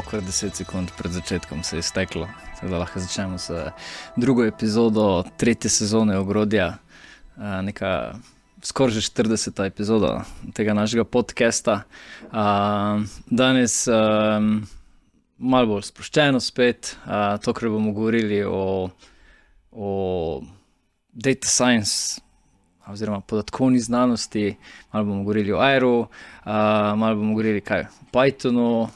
okrat 10 sekund pred začetkom se je steklo, tako da lahko začnemo s drugo epizodo 3. sezone Ogrodja, neka skoraj že 40. epizoda tega našega podcasta. Danes malo bolj sproščeno spet, tokrat bomo govorili o data science oziroma podatkovni znanosti, malo bomo govorili o Airu, malo bomo govorili kaj o Pythonu,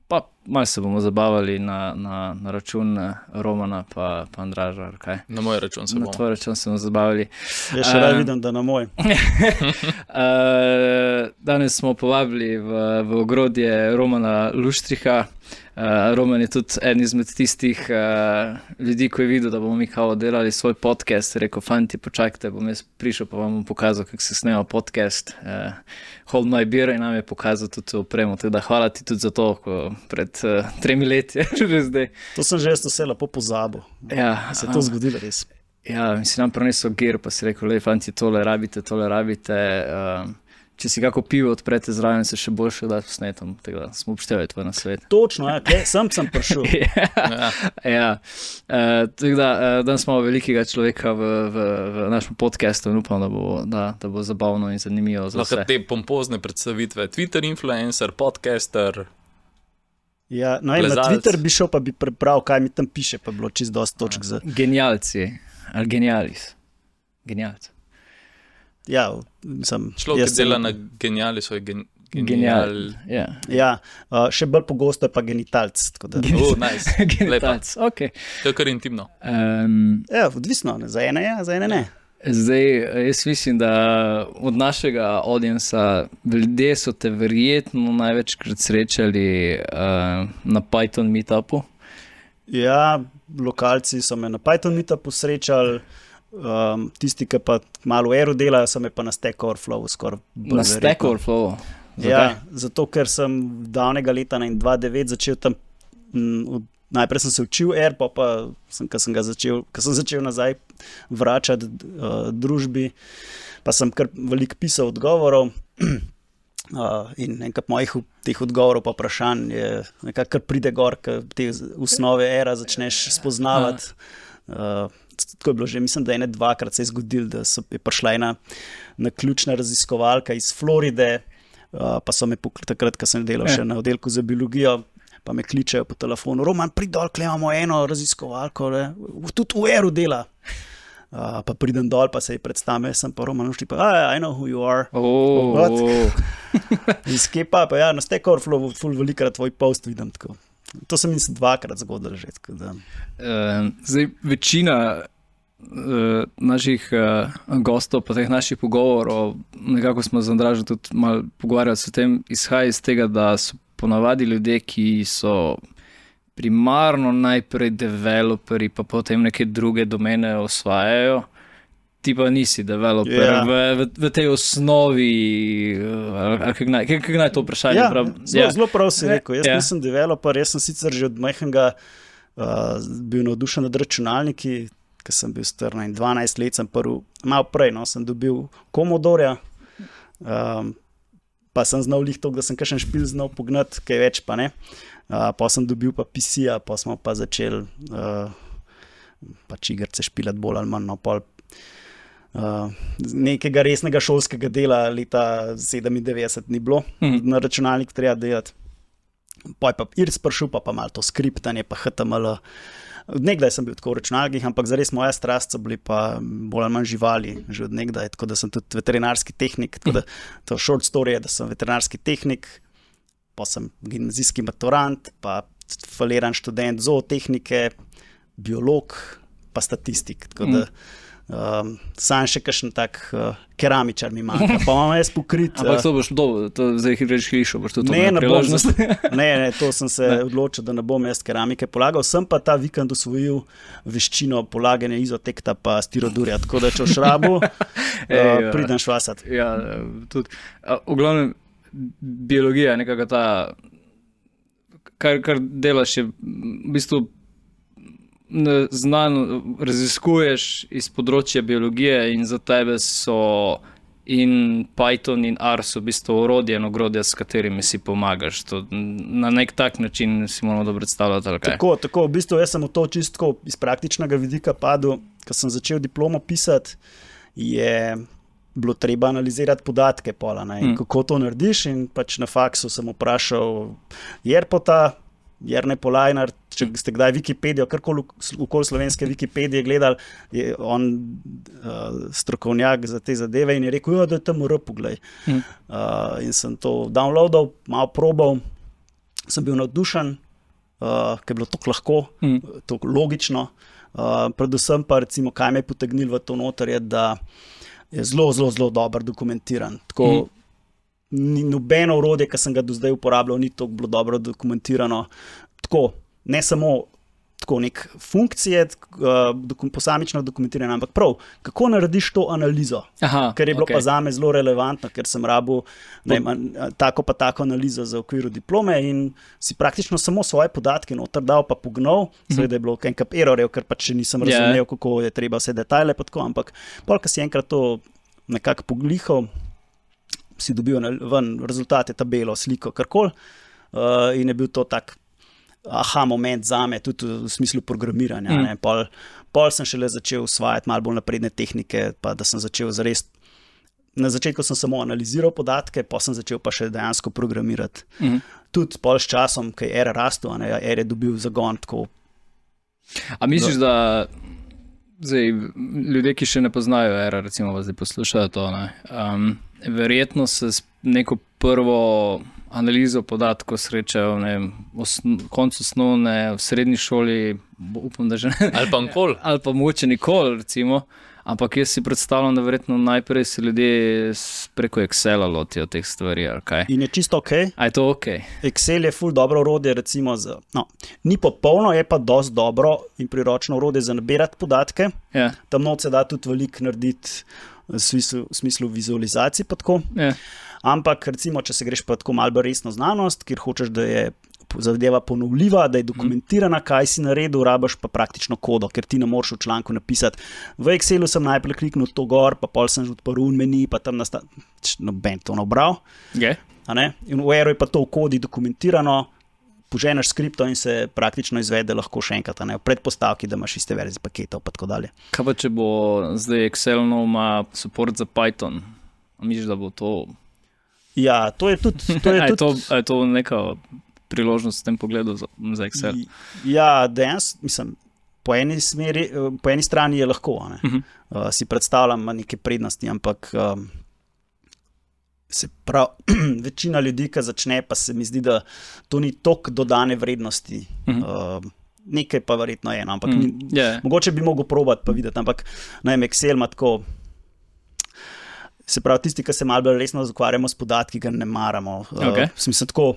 pa malo se bomo zabavali na račun Romana pa Andraža. Kaj? Na moj račun se bomo. Na tvoj račun se bomo zabavali. Ja, še rad vidim, da na moj. Danes smo povabili v Ogrodje Romana Luštriha. Roman je tudi eden izmed tistih ljudi, ko je videl, da bomo mi kao delali svoj podcast, rekel, fanti, počakajte, bom jaz prišel, pa vam bom pokazal, kako se snema podcast. Hold my beer in nam je pokazal tudi opremo, tako da hvala ti tudi za to, ko pred 3 leti že zdaj. To sem že vse lepo pozabil. Ja, se je to zgodilo res. Ja, si nam prinesel gear, pa si rekel, lej, fanti, tole rabite. Če si kako pivo odprete zraven, se še boljše da posnetom, tako da smo upoštevali tvoj nasvet. Točno, ja, sem prišel. Ja. Tako da danes smo velikega človeka v našem podcastu in upam, da bo zabavno in zanimivo za vse. Lahko te pompozne predstavitve, Twitter influencer, podcaster, ja, no, na Twitter bi šel, pa bi prebral, kaj mi tam piše, pa bilo čisto dosti točk za... Genialci, ali genialis. Genialci. Ja, mislim, človek, ki dela na geniali, so genial. Ja, še bolj pogosto je pa genitalc. Nice. Genitalc, ok. To je kar intimno. Ja, odvisno, za ene je, za ene ne. Zdaj, jaz mislim, da od našega audienca ljudje so te verjetno največkrat srečali na Python meetupu. Ja, lokalci so me na Python meetupu srečali. Tisti, ki pa malo v Airu delajo, so me pa na Stack Overflow skoraj bolj. Na Stack Overflow? Ja, zato ker sem davnega leta 2009 začel tam, najprej sem se učil Air, pa ko sem začel nazaj vračati družbi, pa sem kar veliko pisal odgovorov in enkrat mojih teh odgovorov pa vprašanj je nekako kar pride gor, ko te osnove Aira začneš spoznavati. Tako je bilo že, mislim, da 1-2 se je zgodilo, da je prišla ena naključna raziskovalka iz Floride, pa so me takrat, ko sem delal še na oddelku za biologijo, pa me kličejo po telefonu, Roman, prid dol, imamo eno raziskovalko, tudi v Airu dela. Pa pridem dol, pa se ji predstavim, sem pa Roman Luštriha, I know who you are. Iz Kepa, pa ja, na Stack Overflow ful velikrat tvoj post vidim tako. To sem mislim 2 zgodil že. Zdaj, večina naših gostov, pa teh naših pogovorov, nekako smo z Andražem tudi malo pogovarjali s tem, izhaja iz tega, da so ponavadi ljudje, ki so primarno najprej developeri, pa potem neke druge domene osvajajo. Ti pa nisi developer v tej osnovi, kako naj to vprašanje? Zelo prav si rekel, jaz nisem developer, jaz sem sicer že od majhnega bil navdušen nad računalniki, ker sem bil star 12 let, malo prej, sem dobil Commodore, pa sem znal to, da sem kakšen špil znal pognati, kaj več pa ne, pa sem dobil pa PC-ja, pa smo pa začeli pač igrice špilati bolj ali manj, no pol nekega resnega šolskega dela leta 97 ni bilo, na računalnik treba delati. Pa je pa IRC prišel, pa malo to skriptanje, pa HTML. Nekdaj sem bil tako v računalnikih, ampak zares moja strast so bili pa bolj ali manj živali, že od nekdaj, tako da sem tudi veterinarski tehnik, tako da to short story je, da sem veterinarski tehnik, pa sem gimnazijski maturant, pa faliran študent zootehnike, biolog, pa statistik, tako da sam še kakšen tak keramičar mi manjka, pa imam jaz pokrit. Ampak to boš to zdaj reč hišo, boš to priložnost? Ne, to sem se odločil, da ne bom jaz keramike polagal, sem pa ta vikend osvojil veščino polaganja izotekta pa stirodurja, tako da če v šrabu pridem švasat. Ja, tudi. V glavnem, biologija, nekako ta, kar delaš je v bistvu znano, raziskuješ iz področja biologije in za tebe so in Python in R so v bistvu orodje in ogrodja, s katerimi si pomagaš. To na nek tak način si moramo dobro predstavljati, ali kaj? Tako, v bistvu jaz sem v to čisto iz praktičnega vidika padel, ko sem začel diplomo pisati, je bilo treba analizirati podatke pola, kako to narediš, in pač na faksu sem vprašal Jerpota, Jernej Polajnar, če ste kdaj Wikipedijo, karkoli okoli slovenske Wikipedije gledali, je on strokovnjak za te zadeve in je rekel, da je tam poglej. In sem to downloadal, malo probal, sem bil navdušen, ker je bilo tako lahko, tako logično. Predvsem pa recimo, kaj me je potegnilo v to noter, je, da je zelo, zelo, zelo dobro dokumentiran. Tako, ni nobeno orodje, ki sem ga do zdaj uporabljal, ni tako bilo dobro dokumentirano. Tako, ne samo tako nek funkcije, posamično dokumentirane, ampak prav, kako narediš to analizo. Ker je bilo pa zame zelo relevantno, ker sem rabil tako pa tako analizo za okviru diplome in si praktično samo svoje podatke noter dal pa pognal. Seveda je bilo en kup errorjev, ker pač še nisem razumel, kako je treba vse detajle pa tako, ampak polk si enkrat to nekako poglihal, si dobil ven rezultate, tabelo, sliko, karkoli, in je bil to tak aha moment zame, tudi v smislu programiranja. Pol sem šele začel usvajati malo bolj napredne tehnike, pa da sem začel zares. Na začetku sem samo analiziral podatke, pa sem začel pa še dejansko programirati. Tudi pol s časom, ko je R rastel, R je dobil zagon. Tako. A misliš, da zdaj, ljudje, ki še ne poznajo R, recimo vas zdaj poslušajo to, verjetno se s neko prvo analizo podatkov srečajo v koncu osnovne, v srednji šoli, upam, da že ne. Ali pa nikoli. Ali pa mogoče nikoli, recimo. Ampak jaz si predstavljam, da verjetno najprej se ljudje preko Excela lotijo teh stvari, ali kaj. In je čisto ok. A je to ok? Excel je ful dobro orodje, recimo ni popolno, je pa dosti dobro in priročno orodje za nabirati podatke. Tam not se da tudi veliko narediti v smislu vizualizacij pa tako. Ampak recimo, če se greš pa tako malo resno znanost, kjer hočeš, da je zadeva ponovljiva, da je dokumentirana, kaj si naredil, rabiš pa praktično kodo, ker ti ne moreš v članku napisati. V Excelu sem najprej kliknil to gor, pa pol sem že odprl meni, pa tam noben to nabral. In v Aero je pa to v kodi dokumentirano, poženeš skripto in se praktično izvede lahko še enkrat, v predpostavki, da imaš iste verzije paketov pa tako dalje. Kaj pa, če bo zdaj Excel ima support za Python? Misliš, da bo to... Ja, to je tudi... Je to neka priložnost v tem pogledu za Excel? Ja, dejansko, mislim, po eni strani je lahko, si predstavljam neke prednosti, ampak se pravi, večina ljudi, ki začne, pa se mi zdi, da to ni toliko dodane vrednosti. Nekaj pa verjetno je, ampak mogoče bi mogel probati pa videti, ampak Excel ima tako... Se pravi, tisti, ki se malo bolj resno ukvarjamo s podatki, ga ne maramo. Mislim, tako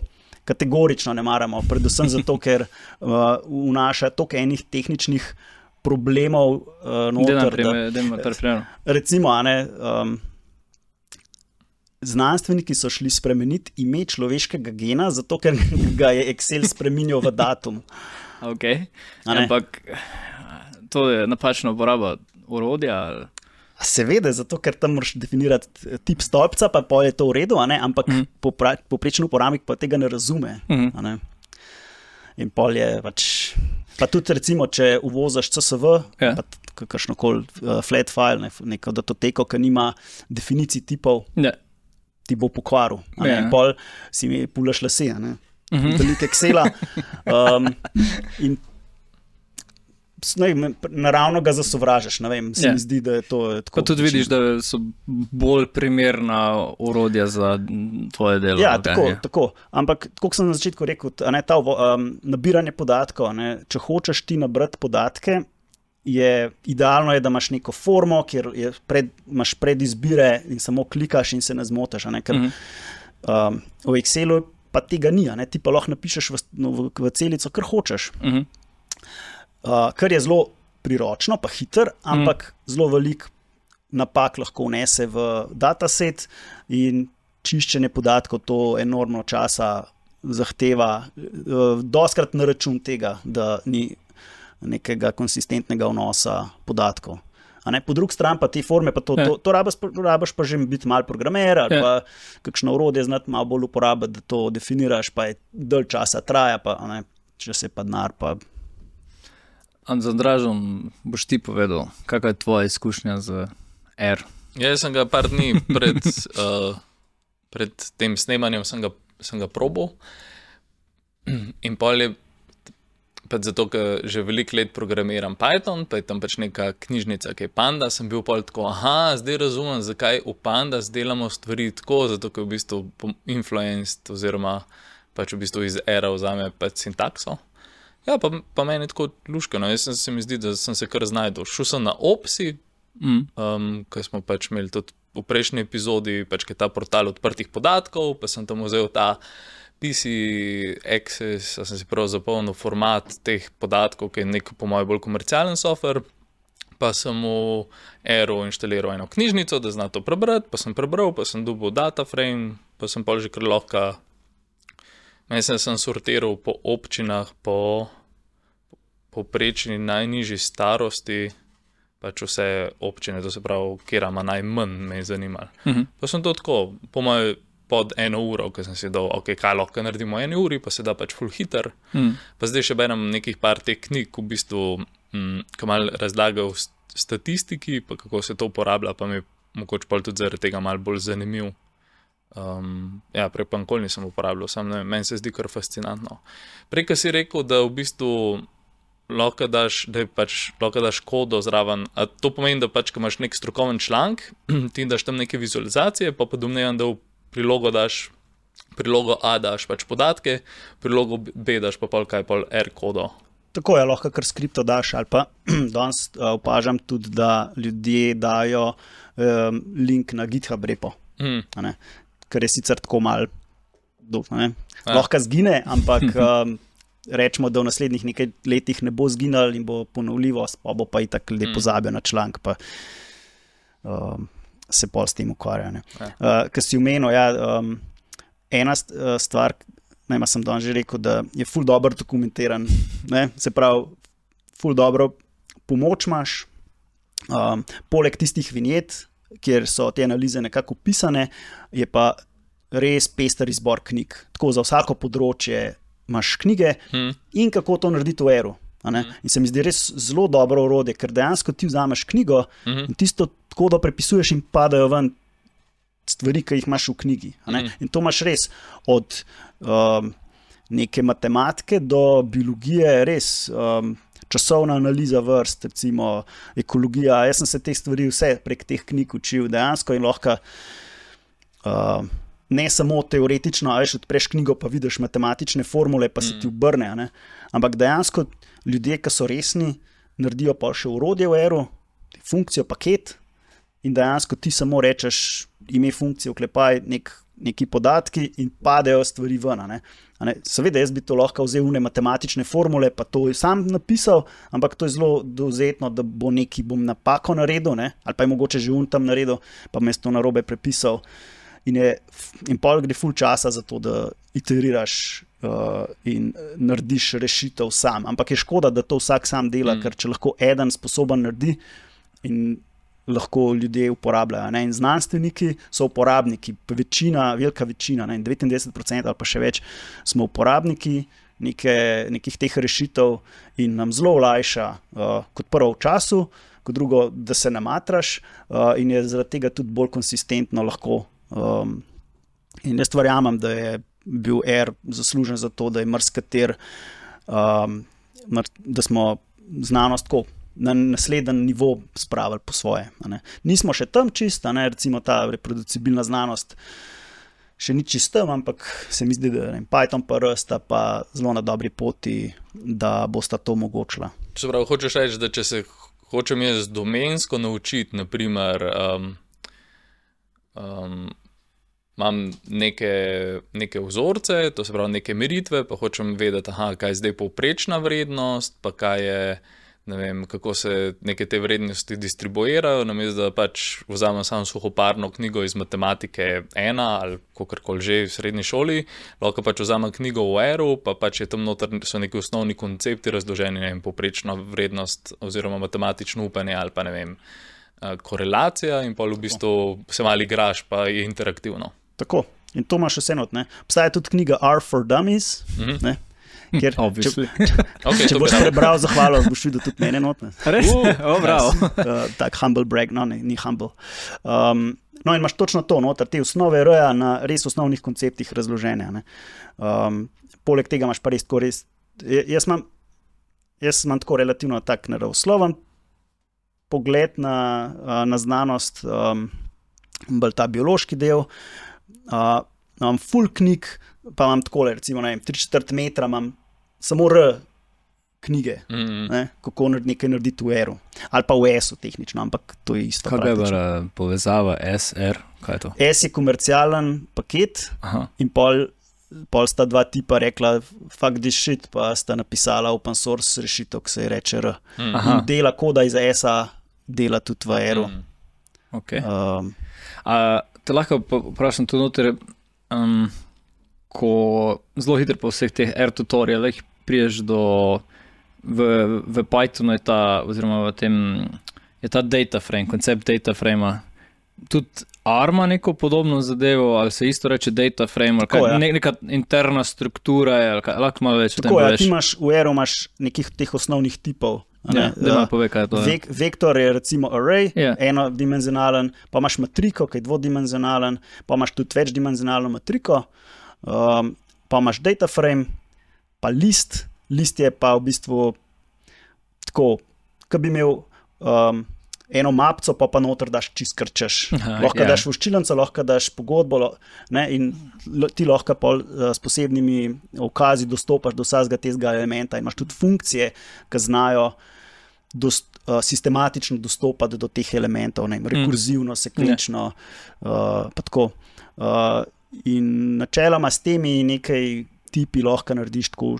kategorično ne maramo, predvsem zato, ker vnaša toliko enih tehničnih problemov noter. Recimo, znanstveniki so šli spremeniti ime človeškega gena, zato ker ga je Excel spreminjal v datum. Ampak to je napačna uporaba orodja ali... Seveda, zato ker tam moraš definirati tip stolpca, pa je to v redu, povprečen uporabnik pa tega ne razume. In pol je pač... Pa tudi recimo, če uvozaš CSV, pa kakšnokoli flat file, neko datoteko, ki nima definicij tipov, ti bo pokvaril. In pol si mi pulaš lase, veliko Excela. In naravno ga zasovražaš, se mi zdi, da je to tako. Pa tudi vidiš, da so bolj primerna orodja za tvoje delo. Ja, tako. Ampak, kot sem na začetku rekel, ta nabiranje podatkov, če hočeš ti nabrati podatke, idealno je, da imaš neko formo, kjer imaš predizbire in samo klikaš in se ne zmotaš. Ker v Excelu pa tega ni, ti pa lahko napišeš v celico, kar hočeš. Kar je zelo priročno, pa hiter, ampak zelo velik napak lahko vnese v dataset in čiščenje podatkov to enormno časa zahteva, dostkrat na račun tega, da ni nekega konsistentnega vnosa podatkov. Po drugi strani pa te forme, pa to rabiš pa že biti mal programer ali pa kakšno orodje znati malo bolj uporabiti, da to definiraš, pa je dalj časa traja, pa če se pa denar pa... Za Dražom boš ti povedal, kakva je tvoja izkušnja z R? Jaz sem ga par dni pred tem snemanjem sem ga probal in pol je pač zato, ker že veliko let programiram Python, pa je tam pač neka knjižnica, ki je Pandas, sem bil pol tako, zdaj razumem, zakaj v Pandas delamo stvari tako, zato, ker v bistvu influenced oziroma pač v bistvu iz R vzame pač sintakso. Ja, pa meni je tako luškano, se mi zdi, da sem se kar znajdel. Šel sem na Opsi, ker smo pač imeli tudi v prejšnji epizodi, pač je ta portal odprtih podatkov, pa sem tam vzel ta PC Access, sem si prav zapolnil format teh podatkov, ki je nek po mojem bolj komercialen software, pa sem v R-u inštaliral eno knjižnico, da zna to prebrati, pa sem prebral, pa sem dobil dataframe, pa sem pol že kar lahko, mislim, sem sortiral po občinah, po povprečni najnižji starosti, pač vse občine, to se pravi, kjer ima najmanj, me je zanimalo. Pa sem to tako, po mojem, pod 1 uro, ker sem si dal, kaj lahko naredimo 1 uri, pa se da pač full hiter. Pa zdaj še berem nekih par teh knjig, v bistvu, ki malo razlagajo v statistiki, pa kako se to uporablja, pa mi je mogoče pol tudi zaradi tega malo bolj zanimiv. Prej pa nikoli nisem uporabljal, meni se zdi kar fascinantno. Prej, ko si rekel, da v bistvu lahko daš kodo zraven, a to pomeni, da pač, ko imaš nek strokoven članek, ti daš tam neke vizualizacije, pa domnevam, da v prilogo A daš pač podatke, prilogo B daš pa pol R kodo. Tako je, lahko kar skripto daš, ali pa danes opažam tudi, da ljudje dajo link na GitHub repo, kar je sicer tako malo, lahko zgine, ampak rečemo, da v naslednjih nekaj letih ne bo zginal in bo ponovljivost, pa bo pa itak ljudje pozabijo na članek, pa se pol s tem ukvarja. Ker si omenil, ena stvar, sem danes že rekel, da je ful dobro dokumentiran, se pravi, ful dobro pomoč imaš, poleg tistih vinjet, kjer so te analize nekako opisane, je pa res pester izbor knjig. Tako za vsako področje imaš knjige in kako to narediti v R-u. In se mi zdi res zelo dobro orodje, ker dejansko ti vzameš knjigo in tisto tako, da prepisuješ in padajo ven stvari, ki jih imaš v knjigi. In to imaš res od neke matematike do biologije, res časovna analiza vrst, recimo ekologija. Jaz sem se te stvari vse prek teh knjig učil dejansko in lahko ne samo teoretično, odpreš knjigo pa vidiš matematične formule, pa se ti obrne, ampak dejansko ljudje, ki so resni, naredijo pa še orodje v R-u, funkcijo, paket in dejansko ti samo rečeš ime funkcije, vklepaj neki podatki in padejo stvari ven. Seveda, jaz bi to lahko vzel une matematične formule, pa to sam napisal, ampak to je zelo dovzetno, da bom napako naredil, ali pa je mogoče že tam naredil, pa me to narobe prepisal. In pol gre ful časa za to, da iteriraš in narediš rešitev sam. Ampak je škoda, da to vsak sam dela, ker če lahko eden sposoben naredi in lahko ljudje uporabljajo. In znanstveniki so uporabniki, velika večina, 99% ali pa še več, smo uporabniki nekih teh rešitev in nam zelo olajša, kot prvo v času, kot drugo, da se namatraš in je zaradi tega tudi bolj konsistentno lahko. In jaz verjamem, da je bil R zaslužen za to, da je marskater, da smo znanost tako na naslednji nivo spravili po svoje. Nismo še tam čist, recimo ta reproducibilna znanost še ni čist tam, ampak se mi zdi, da Python pa R sta pa zelo na dobri poti, da bosta to omogočila. Se pravi, hočeš reči, da če se hočem jaz domensko naučiti, naprimer, imam neke vzorce, to se pravi neke meritve, pa hočem vedeti, kaj je zdaj povprečna vrednost, pa kaj je ne vem, kako se neke te vrednosti distribuirajo, namesto da pač vzamem samo suhoparno knjigo iz matematike 1 ali kakorkoli že v srednji šoli, lahko pač vzamem knjigo v R-u, pa pač je tam noter so neki osnovni koncepti razloženi, ne vem, povprečna vrednost oziroma matematično upanje ali pa ne vem, korelacija in pa v bistvu se malo igraš, pa je interaktivno. Tako, in to imaš vse not, ne. Obstaja tudi knjiga R for Dummies, ne. Ker, Okay, če boš prebral zahvalo, boš videl tudi mene not, ne. Res? Bravo. Tak humble brag, no ne, ni humble. No in imaš točno to, noter, te osnove R-ja na res osnovnih konceptih razložene, ne. Poleg tega imaš pa res tako res, jaz imam tako relativno tak naravosloven pogled na znanost, bolj ta biološki del, imam full knjig, pa imam takole, recimo, ne vem, 3/4 metra imam samo R knjige, ne, kako nekaj narediti v R-u, ali pa v S-u tehnično, ampak to je isto. Kaj je povezava S-R, kaj je to? S je komercialen paket. Aha. In pol sta dva tipa rekla, fuck this shit, pa sta napisala open source rešitev, ki se je reče R. In dela koda iz S-a, dela tudi v R-u. Okay. Te lahko vprašam tudi noter, ko zelo hitro po vseh teh R tutorialih priješ do, v Pythonu je ta, oziroma v tem, je ta data frame, koncept data frame-a, tudi R ima neko podobno zadevo, ali se isto reče data frame, ali kaj, neka interna struktura je, ali kaj, lahko malo več o tem poveš. Ti imaš, v R-u imaš nekih teh osnovnih tipov. Da pove, kaj je to. Vektor je recimo array, enodimenzionalen, pa imaš matriko, ki je dvodimenzionalen, pa imaš tudi večdimenzionalno matriko, pa imaš data frame, pa list je pa v bistvu tako, ko bi imel eno mapco, pa noter daš čist krčeš. Lahko daš voščilenco, lahko daš pogodbo, ne, in ti lahko s posebnimi ukazi dostopaš do vsakega tega elementa in imaš tudi funkcije, ki znajo sistematično dostopati do teh elementov, ne, rekurzivno, sekvenčno, pa tako. In načeloma s temi nekaj tipi lahko narediš tako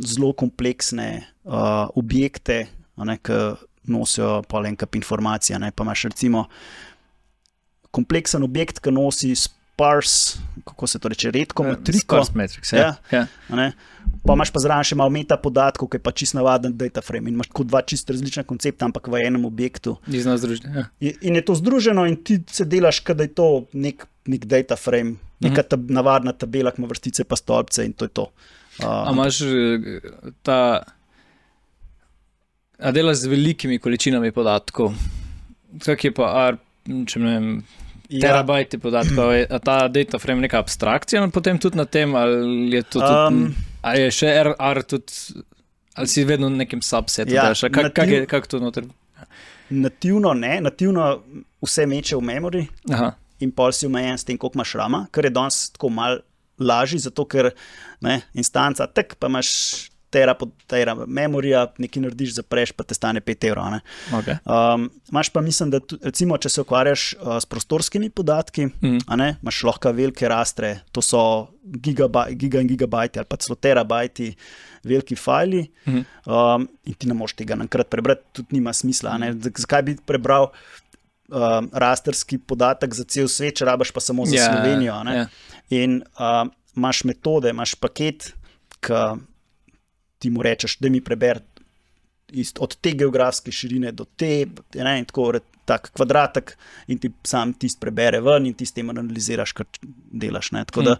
zelo kompleksne objekte, ki nosijo pa en kup informacije, ne, pa imaš recimo kompleksen objekt, ki nosi sparse, kako se to reče, redko matriko. Sparse matrix, ne. Pa imaš pa zraven še malo meta podatkov, ki je pa čist navaden data frame in imaš tako dva čist različna koncepta, ampak v enem objektu. In je to združeno in ti se delaš, kada je to nek data frame, neka navadna tabela, ki ima vrstice pa stolpce in to je to. A imaš a delaš z velikimi količinami podatkov? Kak je pa R, če ne vem, terabajti podatkov, je ta data frame neka abstrakcija, potem tudi na tem, ali je to tudi, ali je še R tudi, ali si vedno v nekem subsetu, kak to noter? Nativno ne, nativno vse meče v memory. Aha. In pol si omejen s tem, koliko imaš rama, kar je danes tako malo lažji, zato ker instanca, pa imaš tera memorija, nekaj narediš, zapreš, pa te stane 5 €. Okay. Imaš pa mislim, da recimo, če se ukvarjaš s prostorskimi podatki, imaš lahko velike rastre, to so giga in gigabajti ali pa celo terabajti veliki fajli, in ti ne moš tega naenkrat prebrati, tudi nima smisla. Zakaj bi prebral rasterski podatek za cel svet, če rabaš pa samo za Slovenijo. In imaš metode, imaš paket, ki ti mu rečeš, da mi preberi od te geografske širine do te, in tako tak kvadratek in ti sam tist prebere ven in ti s tem analiziraš, kar delaš. Tako da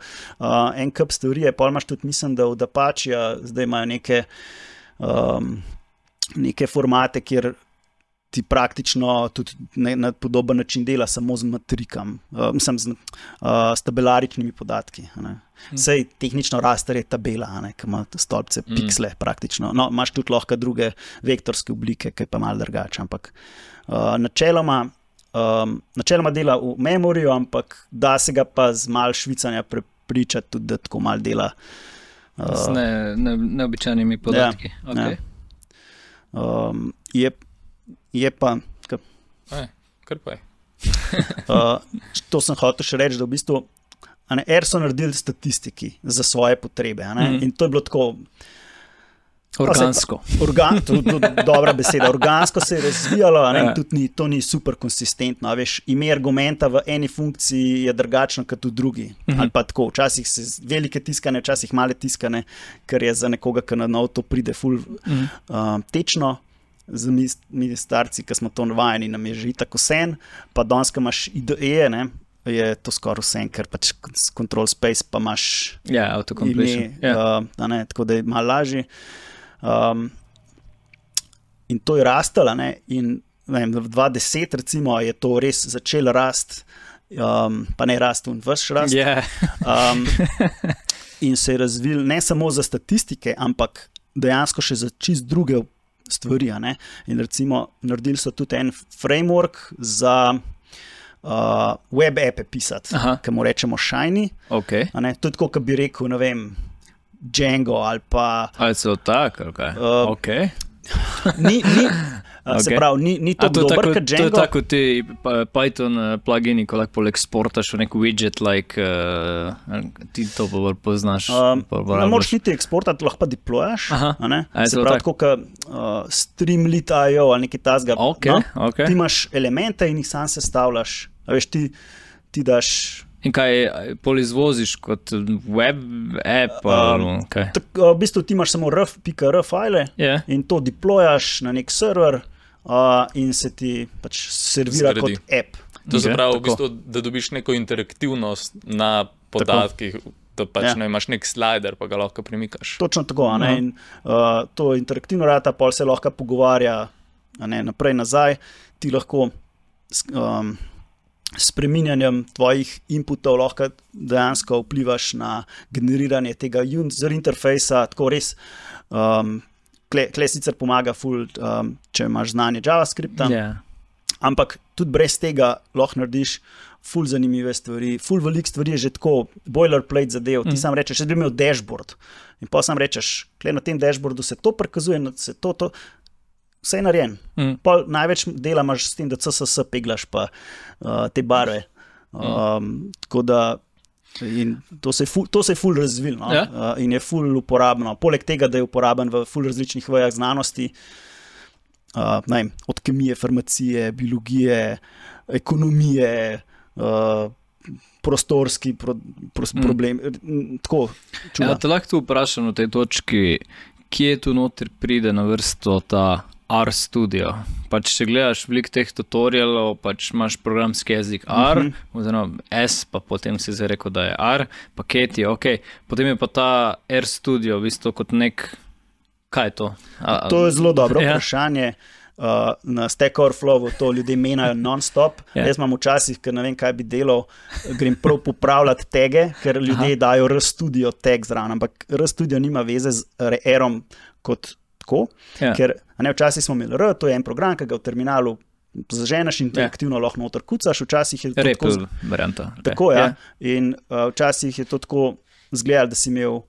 en kup teorije, pol imaš tudi, mislim, da od Apache zdaj imajo neke formate, kjer ti praktično tudi na podoben način dela samo z matrikam, s tabelaričnimi podatki. Sej tehnično raster je tabela, ki ima stolpce, piksle praktično. No, imaš tudi lahko druge vektorske oblike, ki je pa malo drugače, ampak načeloma dela v memoriju, ampak da se ga pa z malo švicanja prepričati tudi, da tako malo dela. Z neobičajnimi podatki. Okay. Je pa... Kar pa je. To sem hotel še reči, da v bistvu R so naredili statistiki za svoje potrebe. In to je bilo tako... Organsko. Dobra beseda. Organsko se je razvijalo, tudi to ni super konsistentno. Veš, ime argumenta v eni funkciji je drugačno kot v drugi. Ali pa tako, včasih se velike tiskane, včasih male tiskane, ker je za nekoga, ki na nov to pride ful tečno. Za mi starci, ki smo to navajeni, nam je že tako sen, pa danes, ko imaš IDE, je to skoraj vse, ker pač control space pa imaš autocompletion. Tako da je malo lažje. In to je rastalo, in v 2010 recimo je to res začelo rast, pa ne rast in vaš rast. In se je razvil ne samo za statistike, ampak dejansko še za čist druge stvari. In recimo naredili so tudi en framework za web appe pisati, ki mu rečemo Shiny. Okay. To je tako, kot bi rekel, ne vem, Django ali pa... Ali so tako, ali kaj? Okay. Se pravi, ni to dober kot Django. To je tako ti Python plugini, ko lahko eksportaš v nek widget, ti to poznaš. Ne moraš niti eksportati, lahko pa deployaš. Se pravi, tako kot Streamlit.io ali nekaj tasga. Okay. Ti imaš elemente in jih sam sestavljaš. Veš, ti daš... In kaj pol izvoziš kot web app? V bistvu ti imaš samo rf.r file in to deployaš na nek server in se ti pač servira kot app. To se pravi, v bistvu, da dobiš neko interaktivnost na podatkih, da pač imaš nek slider, pa ga lahko premikaš. Točno tako, in to interaktivno rata, pol se lahko pogovarja naprej, nazaj, ti lahko spreminjanjem tvojih inputov lahko dejansko vplivaš na generiranje tega user interfejsa, tako res, kle sicer pomaga ful, če imaš znanje JavaScripta, ampak tudi brez tega lahko narediš ful zanimive stvari, ful veliko stvari je že tako boilerplate zadev, ti sam rečeš, da bi imel dashboard in pa sam rečeš, kle na tem dashboardu se to prikazuje, se to vse je narejen. Največ dela imaš s tem, da CSS peglaš pa te barve. Tako da in to se je ful razvil, in je ful uporabno. Poleg tega, da je uporaben v ful različnih vejah znanosti, od kemije, farmacije, biologije, ekonomije, prostorski problem. Tako, čuda. Te lahko tu vprašam v tej točki, kje tu noter pride na vrsto ta RStudio. Pač če gledaš veliko teh tutorialov, pač imaš programski jezik R, oziroma S, pa potem si zdaj rekel, da je R, paketi, potem je pa ta RStudio v bistvu kot nek, kaj je to? To je zelo dobro vprašanje. Na Stack Overflowu to ljudje menjajo non-stop. Jaz imam včasih, ker ne vem, kaj bi delal, grem prav popravljati tege, ker ljudje dajo RStudio tag zraven, ampak RStudio nima veze z R-om kot tako, ker včasih smo imeli R, to je en program, ki ga v terminalu zaženeš in interaktivno lahko noter kucaš, včasih je to tako... varianta. Tako, in včasih je to tako izgledalo, da si imel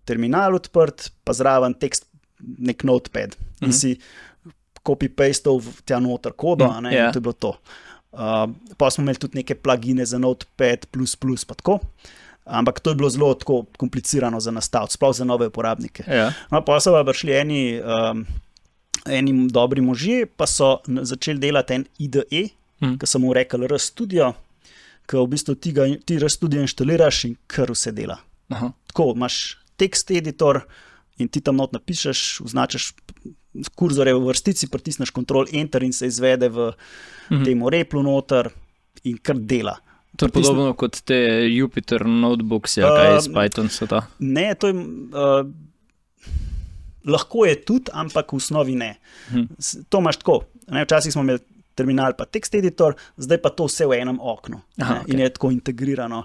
terminal odprt, pa zraven tekst, nek notepad in si copy-pastal tja noter kodo, in to je bilo to. Pa smo imeli tudi neke plugine za Notepad++, pa tako. Ampak to je bilo zelo tako komplicirano za nastaviti, sploh za nove uporabnike. Pa so pa prišli eni dobri možje, pa so začeli delati en IDE, ki so mu rekli RStudio, ki v bistvu ti RStudio inštaliraš in kar vse dela. Tako, imaš tekst editor in ti tam not napišeš, označiš kurzore v vrstici, pritisneš Ctrl-Enter in se izvede v temu replu noter in kar dela. To je podobno kot te Jupyter Notebooks, kaj iz Python so ta? Ne, to je... lahko je tudi, ampak v osnovi ne. To imaš tako. Včasih smo imeli terminal pa tekst editor, zdaj pa to vse v enem oknu. In je tako integrirano.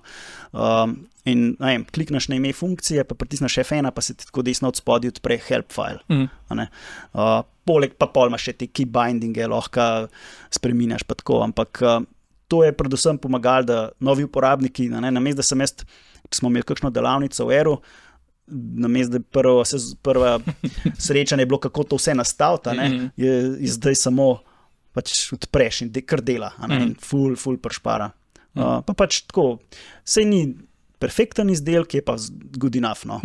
Klikneš na ime funkcije, pa pritisneš F1, pa se ti tako desno od spodaj odpre help file. Poleg pa pol imaš še te key bindinge, lahko spreminjaš pa tako, ampak to je predvsem pomagalo, da novi uporabniki, namesto da sem jaz, če smo imeli kakšno delavnico v Eru, namesto da prva srečanje je bilo, kako to vse nastaviti, je zdaj samo pač odpreš in kar dela, in ful prešpara. Pa pač tako, sej ni perfekten izdelek, je pa good enough. No.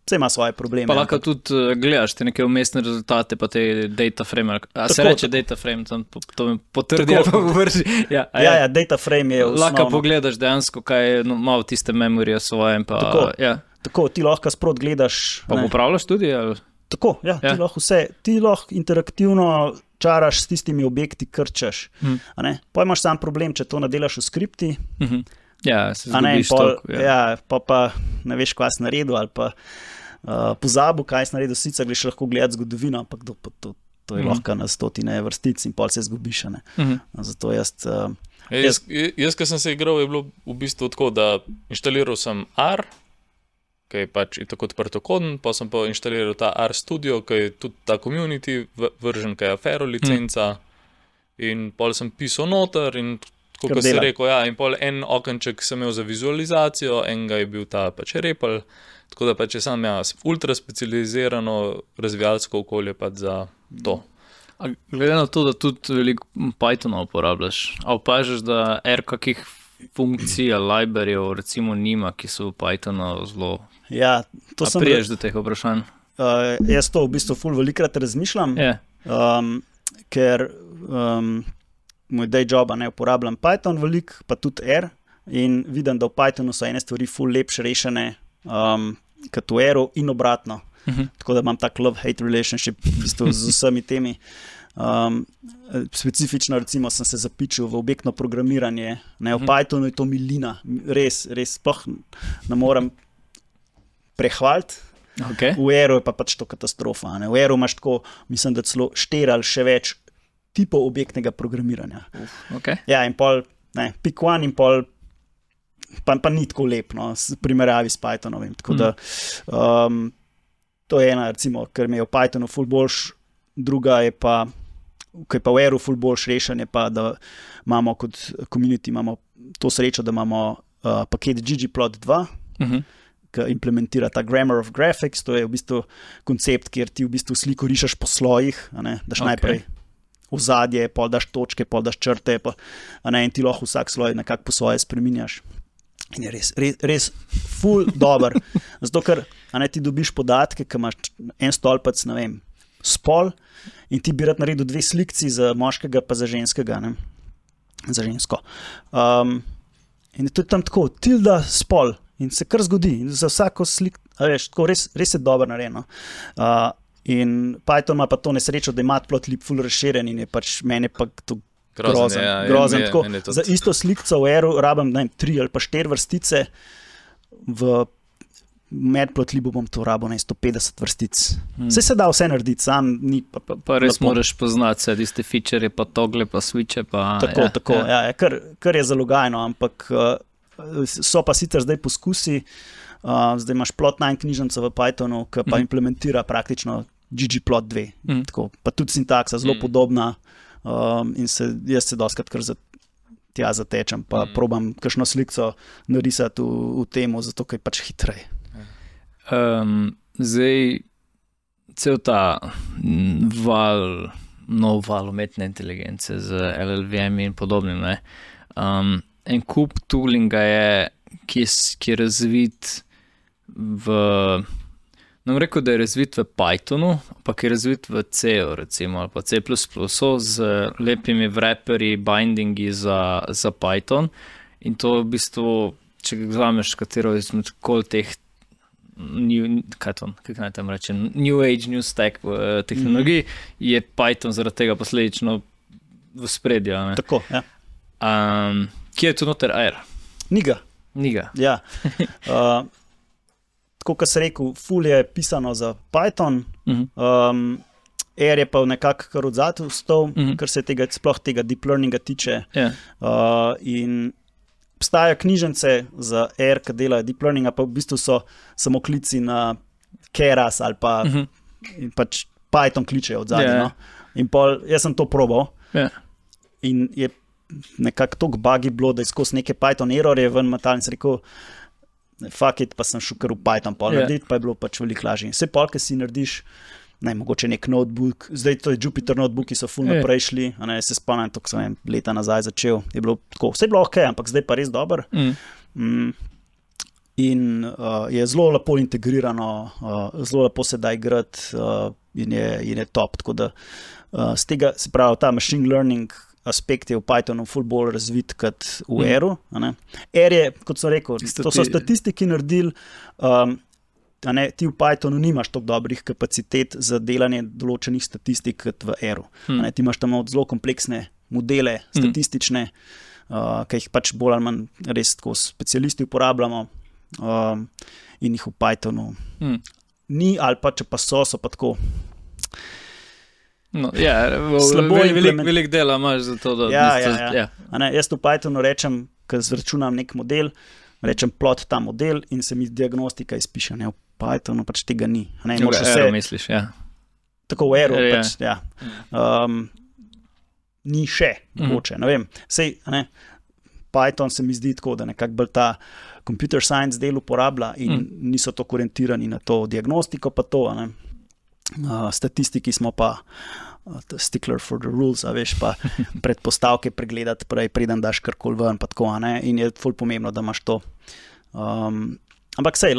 Vse ima svoje probleme. Pa lahko tudi gledaš te neke umestne rezultate, pa te data frame. Se reče data frame, to mi potrdi ali pa vrži. Ja, data frame je osnovno. Lahko pogledaš dejansko, kaj je malo tiste memorije svoje. Tako, ti lahko sprot gledaš. Pa popravljaš tudi? Ali? Tako, ti lahko vse. Ti lahko interaktivno čaraš s tistimi objekti, krčaš. Pa imaš sam problem, če to nadelaš v skripti. Ja, se zgubiš toliko. Pa ne veš, kaj si naredil, ali pa pozabil, kaj si naredil, sicer greš lahko gledati zgodovino, ampak to je lahko na stotine vrstic in pol se zgubiš. Zato jaz, ko sem se igral, je bilo v bistvu tako, da inštaliral sem R, ki je pač tako odprtokoden, pa sem pa inštaliral ta R Studio, ki je tudi ta community version, ki je Afero licenca, in pol sem pisal noter in kot si rekel, in pol en okenček sem imel za vizualizacijo, enega je bil ta pač Repl, tako da pač je sam ultra specializirano razvijalsko okolje pač za to. A glede na to, da tudi veliko Pythona uporabljaš, a opažaš, da kakih funkcij, libraryjev recimo nima, ki so v Pythonu zelo... Ja, to sem... priješ do teh vprašanj? Jaz to v bistvu ful velikrat razmišljam, ker moj day job ne uporabljam Python veliko, pa tudi R, in vidim, da v Pythonu so ene stvari ful lepše rešene kot v R-u in obratno. Tako da imam tak love-hate relationship v bistvu z vsemi temi. Specifično recimo sem se zapičil v objektno programiranje. V Pythonu je to milina. Res sploh ne morem prehvaliti. V R-u je pa pač to katastrofa. V R-u imaš tako, mislim, da celo 4 ali še več tipov objektnega programiranja. Ja, in pol, pick one in pol pa ni tako lep, v primerjavi s Pythonovim. Tako da to je ena, recimo, ker mi je v Pythonu ful boljš, druga je pa, ki je pa v R-u ful boljš rešen, je pa, da imamo kot community imamo to srečo, da imamo paket ggplot2, ki implementira ta Grammar of Graphics, to je v bistvu koncept, kjer ti v bistvu sliko rišeš po slojih, daš najprej ozadje, pol daš točke, pol daš črte, in ti lahko vsak sloj nekako po svoje spreminjaš. In je res ful dober. Zato, ker ti dobiš podatke, ki imaš en stolpec, ne vem, spol, in ti bi rad naredil 2 slikci za moškega pa za ženskega, za žensko. In to je tam tako, tilda spol, in se kar zgodi. In za vsako slik, res je dobro narejeno. In Python ima pa to nesrečo, da ima matplotlib ful razširjen in je pač meni pa to grozen. Za isto slikco v R-u rabim 3 ali pa 4 vrstice, v matplotlib bom to rabil 150 vrstic. Vse se da vse narediti, sam ni pa res moraš poznati vse tiste feature, pa togle, pa switche, pa... Tako, kar je zalogajno, ampak so pa sicer zdaj poskusi, zdaj imaš plot9 knjižnico v Pythonu, ki pa implementira praktično ggplot2, pa tudi sintaksa zelo podobna, in jaz se dostakrat kar tja zatečem, pa probam kakšno slikco narisati v temu, zato ker je pač hitrej. Zdaj, cel ta nov val umetne inteligence z LLVM in podobnim, en kup toolinga je, ki je razvit nam rekel, da je razvit v Pythonu, pa ki je razvit v C-u, recimo, ali pa C++, z lepimi wrapperi, bindingi za Python. In to v bistvu, če ga vzameš katero izmed teh kako naj tam rečem, New Age, New Stack tehnologij, je Python zaradi tega posledično v spredju. Tako, ja. Kje je tu noter R? Niga. Ja. Tako, kot sem rekel, ful je pisano za Python, R je pa nekako kar odzadu vstal, kar se sploh tega deep learninga tiče. In obstajajo knjižnice za R, ki delajo deep learninga, pa v bistvu so samo klici na Keras ali pa in pač Python kličejo odzadu. In pol, jaz sem to probal in je nekako toliko buggy bilo, da je skozi neke Python errorje ven matal in sem rekel, fuck it, pa sem šel kar v Python narediti, pa je bilo pač veliko lažje. Vse pol, ki si narediš, mogoče nek notebook, zdaj to je Jupyter notebooki, so ful naprej šli, se spomnim, to, ko sem leta nazaj začel, je bilo tako, vse je bilo ok, ampak zdaj pa res dober. in je zelo lepo integrirano, zelo lepo se da igrati in je top. Tako da z tega, se pravi, ta machine learning aspekt je v Pythonu ful bolj razvit kot v R-u. R je, kot sem rekel, to so statistiki naredili, ti v Pythonu nimaš toliko dobrih kapacitet za delanje določenih statistik kot v R-u. Ti imaš tam zelo kompleksne modele statistične, ki jih pač bolj ali manj res tako specialisti uporabljamo in jih v Pythonu ni, ali pa če pa so pa tako. No, veliko dela imaš za to, da... Jaz v Pythonu rečem, ko zračunam nek model, rečem plot ta model in se mi diagnostika izpiše. V Pythonu pač tega ni. V R-u misliš, ja. Tako v R-u pač, ja. Ni še, mogoče, ne vem. Sej, Python se mi zdi tako, da nekako bolj ta computer science del uporablja in niso tako orientirani na to diagnostiko, pa to, statistiki smo pa stickler for the rules, a veš, pa predpostavke pregledati prej, preden daš karkoli ven, pa tako, in je ful pomembno, da imaš to. Ampak sej,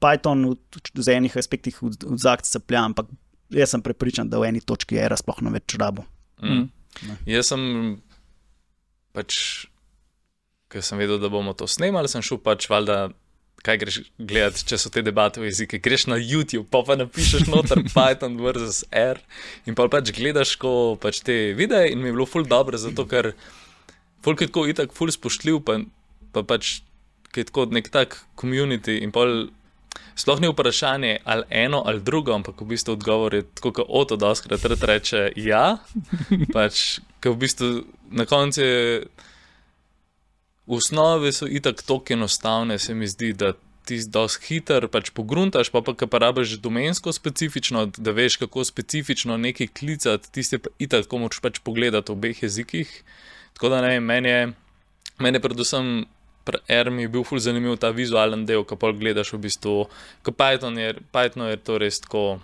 Python v enih aspektih v zakt caplja, ampak jaz sem prepričan, da v eni točki era sploh ne več rabo. Jaz sem pač, ker sem vedel, da bomo to snemali, sem šel pač valjda, kaj greš gledati, če so te debate v jezike, greš na YouTube, pa napišeš noter Python versus R in pa pač gledaš ko pač te videe in mi je bilo ful dobro, zato ker folk je tako itak ful spoštljiv, pa pač je tako nek tak community in pol sploh ni vprašanje ali eno ali drugo, ampak v bistvu odgovor je tako, kot Oto doskrat reče ja, pač, ker v bistvu na koncu je v osnovi so itak toliko enostavne, se mi zdi, da ti dosti hiter pač pogruntaš, pa ko rabiš domensko specifično, da veš, kako specifično nekaj klicati, tiste pa itak, ko moraš pač pogledati v obeh jezikih. Tako da ne vem, meni predvsem pri R mi je bil ful zanimiv ta vizualen del, ko pol gledaš v bistvu, ko Python je to res tako,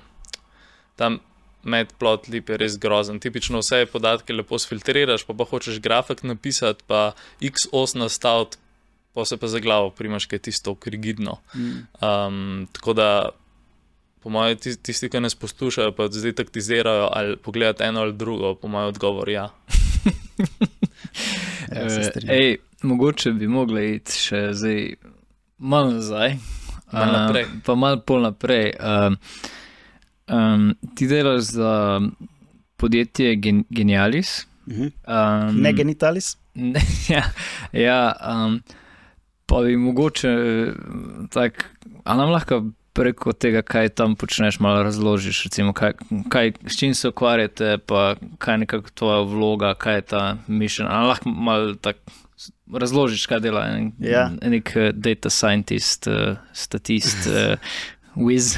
tam matplotlib je res grozen. Tipično vse podatke lepo sfiltriraš, pa hočeš grafik napisati, pa x-os nastaviti, pa se pa za glavo primaš, kaj je tisto rigidno. Tako da, po moje, tisti, ki nas poslušajo, pa zdaj taktizirajo ali pogledati eno ali drugo, po moje odgovor ja. Mogoče bi mogli iti še zdaj malo nazaj, pa malo pol naprej. Ti delaš za podjetje Genialis. Ne Genitalis? Pa bi mogoče tak, a nam lahko preko tega, kaj tam počneš, malo razložiš, recimo, s čim se ukvarjate, pa kaj je nekako tvoja vloga, kaj je ta mission, a lahko malo tak razložiš, kaj dela nek data scientist, statist, Wiz.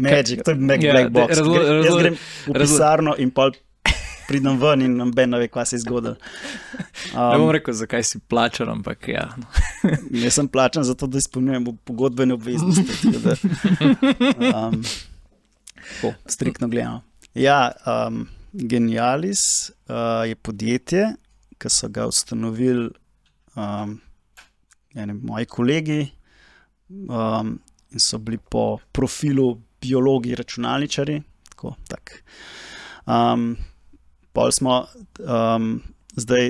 Magic, to je black box. Jaz grem v pisarno in pol pridem ven in noben ne ve, kaj se je zgodilo. Ne bom rekel, zakaj si plačan, ampak ja. Jaz sem plačan zato, da izpolnjujem pogodbene obveznosti. Striktno gledano. Ja, Genialis je podjetje, ki so ga ustanovili moji kolegi, in so bili po profilu biologi računalničari. Pol smo zdaj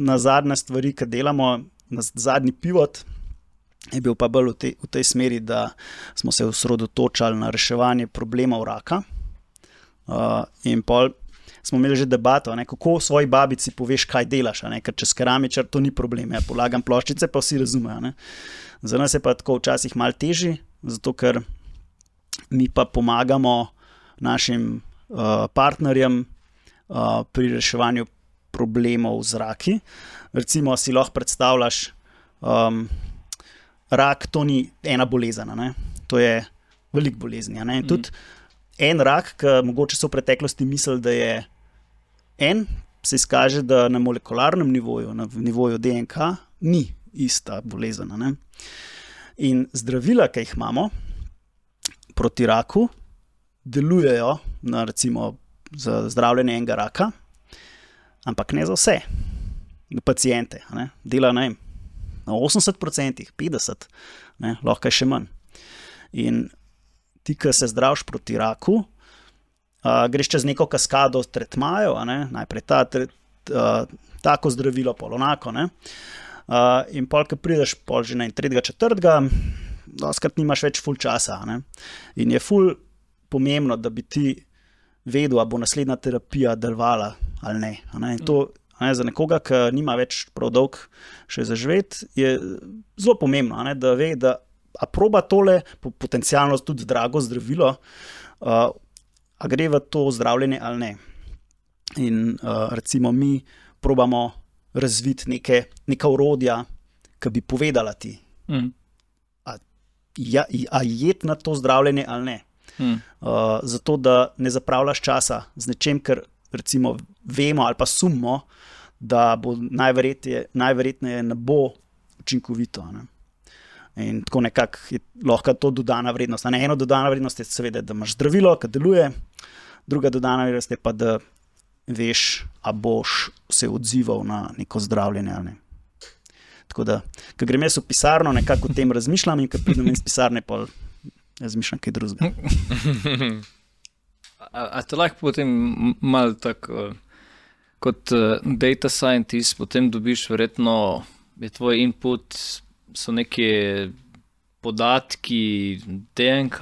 na zadnje stvari, ki delamo, na zadnji pivot je bil pa bolj v tej smeri, da smo se osredotočali na reševanje problemov raka. In pol smo imeli že debato, kako svoji babici poveš, kaj delaš, ker čez keramičar to ni problem, polagam ploščice, pa vsi razumejo. Za nas je pa tako včasih malo težji, zato ker mi pa pomagamo našim partnerjem pri reševanju problemov z raki. Recimo si lahko predstavljaš, rak to ni ena bolezen, to je veliko bolezni. Tudi en rak, ki mogoče so v preteklosti mislili, da je se izkaže, da na molekularnem nivoju, na nivoju DNK, ni ista bolezen. In zdravila, ki jih imamo proti raku, delujejo na recimo za zdravljenje enega raka, ampak ne za vse pacijente. Dela na 80%, 50%, ne, lahko je še manj. In ti, ki se zdraviš proti raku, greš čez neko kaskado tretmajev, najprej tako zdravilo, pol onako, ne. In pol, ki prideš pol že na 3., 4., doskrat nimaš več ful časa, ne. In je ful pomembno, da bi ti vedel, ali bo naslednja terapija delovala ali ne. In to, za nekoga, ki nima več prav dolg še zaživeti, je zelo pomembno, da ve, da a proba tole potencialno tudi drago zdravilo, a gre v to zdravljenje ali ne. In recimo mi probamo razviti neka orodja, ki bi povedala ti, a jeti na to zdravljenje ali ne. Zato, da ne zapravljaš časa z nečem, ker recimo vemo ali pa sumimo, da bo najverjetneje ne bo učinkovito. Ne. In tako nekako je lahko to dodana vrednost. Eno dodana vrednost je seveda, da imaš zdravilo, ki deluje, druga dodana vrednost je pa, da veš, a boš se odzival na neko zdravljenje ali ne. Tako da, ko grem jaz v pisarno, nekako o tem razmišljam in ko pridem iz pisarne, pa razmišljam kaj drugega. A te lahko potem malo tako kot data scientist potem dobiš verjetno, je tvoj input, so neke podatki, DNK,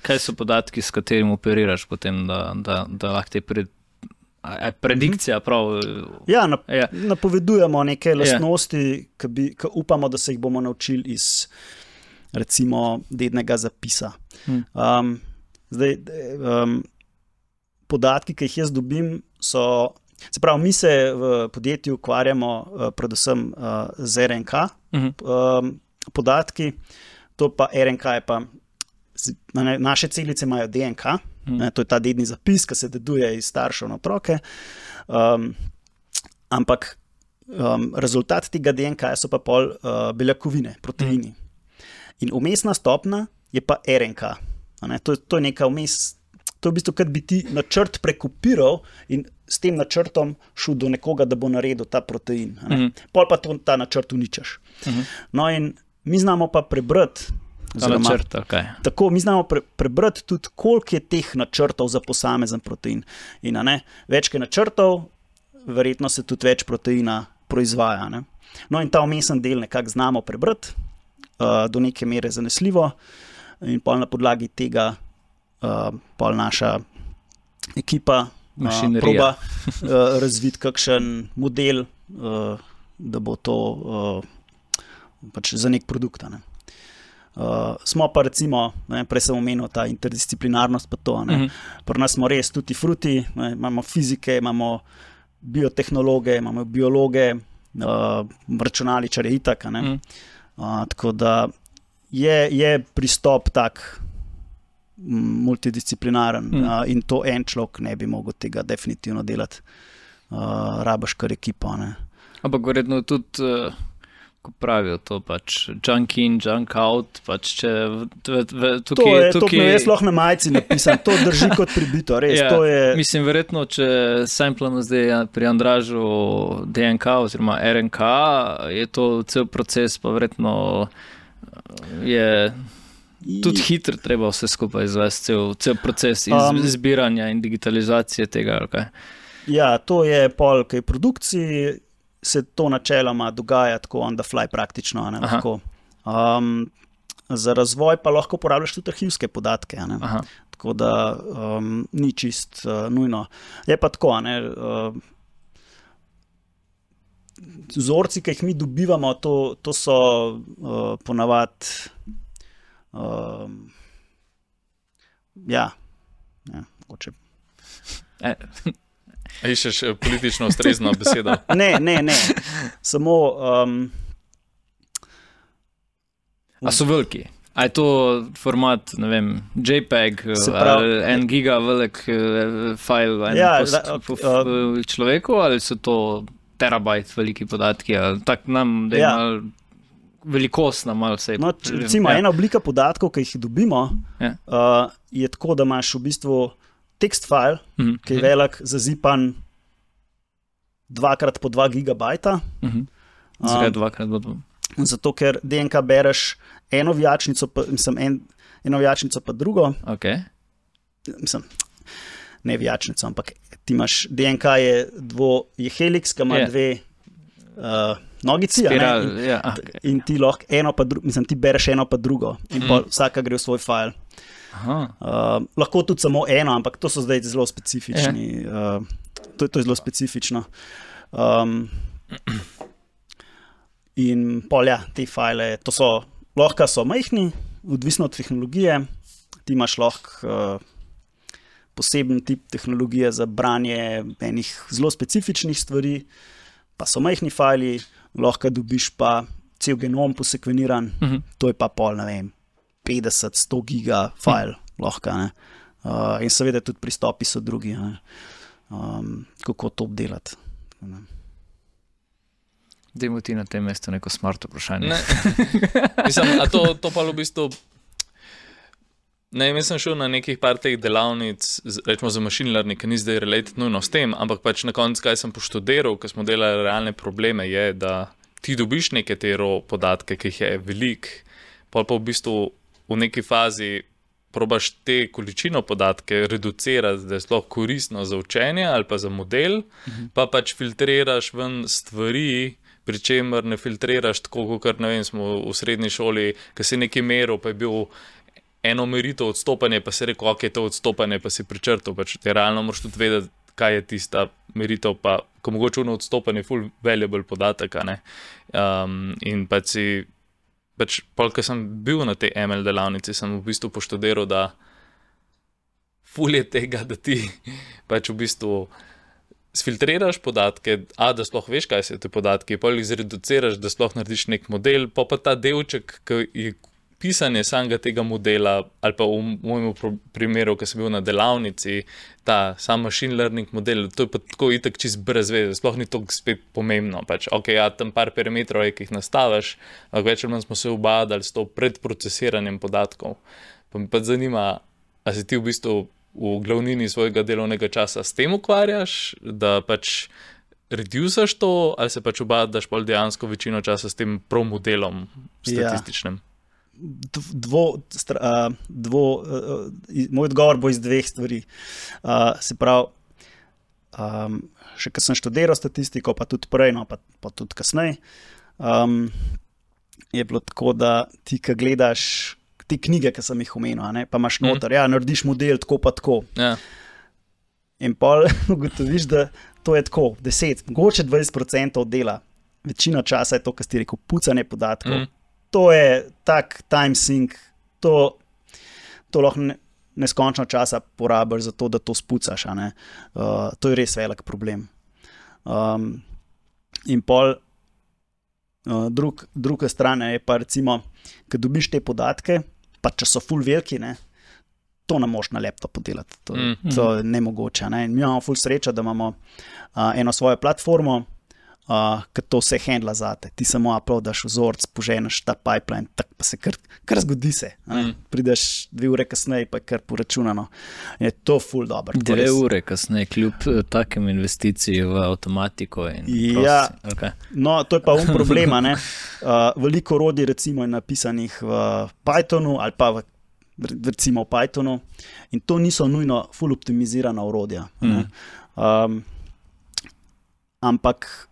kaj so podatki, s katerim operiraš potem, da lahko te predikcija prav? Ja, napovedujemo neke lastnosti, ki upamo, da se jih bomo naučili iz recimo dednega zapisa. Podatki, ki jih jaz dobim, se pravi, mi se v podjetju ukvarjamo predvsem z RNK podatki, to pa RNK je pa, naše celice imajo DNK, to je ta dedni zapis, ki se deduje iz staršev na otroke, ampak rezultat tega DNK so pa pol beljakovine, proteini. In vmesna stopnja je pa RNK. To je neka vmes, to je v bistvu, kad bi ti načrt prekopiral in s tem načrtom šel do nekoga, da bo naredil ta protein. Pol pa ta načrt uničaš. No in mi znamo pa prebrati, tako, mi znamo prebrati tudi, koliko je teh načrtov za posamezen protein. In več je načrtov, verjetno se tudi več proteina proizvaja. Ne? No in ta vmesen del nekako znamo prebrati, do neke mere zanesljivo, in pol na podlagi tega pol naša ekipa proba razviti kakšen model, da bo to pač za nek produkt. Ne. Smo pa recimo, prej sem omenil ta interdisciplinarnost pa to, pri nas smo res tutti frutti, imamo fizike, imamo biotehnologe, imamo biologe, računalničarje itak, tako da je pristop tak multidisciplinaren in to en človek ne bi mogel tega definitivno delati. Rabaš kar ekipo. Ampak verjetno tudi, ko pravijo to pač junk in, junk out, pač če tukaj... To je jaz lahko na majici napisan, to drži kot pribito, res. Ja, to je... Mislim, verjetno, če samplamo zdaj pri Andražu DNK oziroma RNK, je to cel proces, pa verjetno je tudi hitro treba vse skupaj izvesti, cel proces izbiranja in digitalizacije tega, ali kaj? Ja, to je pol, kaj produkciji se to načeloma dogaja tako on the fly praktično. Lahko. Za razvoj pa lahko uporabljaš tudi arhivske podatke. Tako da ni čist nujno. Je pa tako, vzorci, ki jih mi dobivamo, to so ponavadi mogoče. Iščeš politično ustrezno besedo? Ne. Samo... A so veliki? A je to format, ne vem, JPEG ali 1 giga velik file človeku, ali so to terabajt veliki podatki, ali tak nam, da je malo velikost nam malo vse. Recimo, ena oblika podatkov, ki jih dobimo, je tako, da imaš v bistvu tekst file, ki je velik, zazipan 2x po 2 gigabajta, Zakaj dvakrat bo to? Zato, ker DNK bereš eno vijačnico, eno vijačnico pa drugo. Okay. Mislim, ne vijačnico, ampak ti imaš DNK je heliks, ki ima dve nogici, in ti lahko ti bereš eno pa drugo in vsaka gre v svoj file. Lahko tudi samo eno, ampak to so zdaj zelo specifični. To je zelo specifično. In te file, lahko so majhni, odvisno od tehnologije. Ti imaš lahko poseben tip tehnologije za branje enih zelo specifičnih stvari, pa so majhni fajli, lahko dobiš pa cel genom posekveniran, to je pa 50-100 giga fajl lahko. In seveda tudi pristopi so drugi, kako to obdelati. Dajmo ti na tem mestu neko smart vprašanje. Mislim, a to pa v bistvu... Ne, sem šel na nekih par teh delavnic, rečemo za machine learning, ki ni zdaj related nujno s tem, ampak pač na koncu, kaj sem poštudiral, ko smo delali realne probleme, je, da ti dobiš neke te podatke, ki jih je velik, pa v bistvu v neki fazi probaš te količino podatke reducirati, da je sploh koristno za učenje ali pa za model, pa pač filtriraš ven stvari, pri čemer ne filtriraš tako, kot ne vem, smo v srednji šoli, ki si nekaj meril, pa je bil eno meritev odstopanje, pa si rekel, ok, to odstopanje, pa si pričrtal, pač te realno moraš tudi vedeti, kaj je tista meritev, pa ko mogoče ono odstopanje full valuable podatek, ne. In pač ko sem bil na tej ML delavnici, sem v bistvu poštudiral, da ful je tega, da ti pač v bistvu sfiltriraš podatke, da sploh veš, kaj so te podatki, pa jih zreduciraš, da sploh narediš nek model, pa ta delček, ki je pisanje samega tega modela, ali pa v mojem primeru, ko sem bil na delavnici, ta sam machine learning model, to je pa tako itak čist brez veze, sploh ni to spet pomembno. Pač, ok, tam par parametrov je, ki jih nastaviš, ampak več ali manj smo se ubadali s to predprocesiranjem podatkov. Pa me pa zanima, a si ti v bistvu v glavnini svojega delovnega časa s tem ukvarjaš, da pač redusaš to, ali se pač ubadaš pol dejansko večino časa s tem prav modelom statističnim? Moj odgovor bo iz dveh stvari. Se pravi, še ko sem študiral statistiko, pa tudi prej, pa tudi kasneje, je bilo tako, da ti, ko gledaš te knjige, ki sem jih omenil, pa imaš noter, narediš model tako pa tako. In pol ugotoviš, da to je tako, 10, mogoče 20% dela. Večina časa je to, kar si rekel, pucanje podatkov. To je tak time sink, to lahko neskončno časa porabiš za to, da to spucaš. To je res velik problem. In pol druga stran je pa recimo, ko dobiš te podatke, pa če so ful veliki, to ne moš na laptop podelati. To je nemogoče. Mi imamo ful srečo, da imamo eno svojo platformo, ki to vse handla zate. Ti samo uploadaš vzorc, poženeš ta pipeline, tak pa se kar zgodi se. Prideš 2 ure kasneje, pa je kar poračunano. Je to ful dobro. 2 ure kasneje, kljub takem investiciji v avtomatiko in okay. No, to je pa problema. Veliko orodij recimo je napisanih v Pythonu ali pa recimo v Pythonu in to niso nujno ful optimizirana orodja. Ampak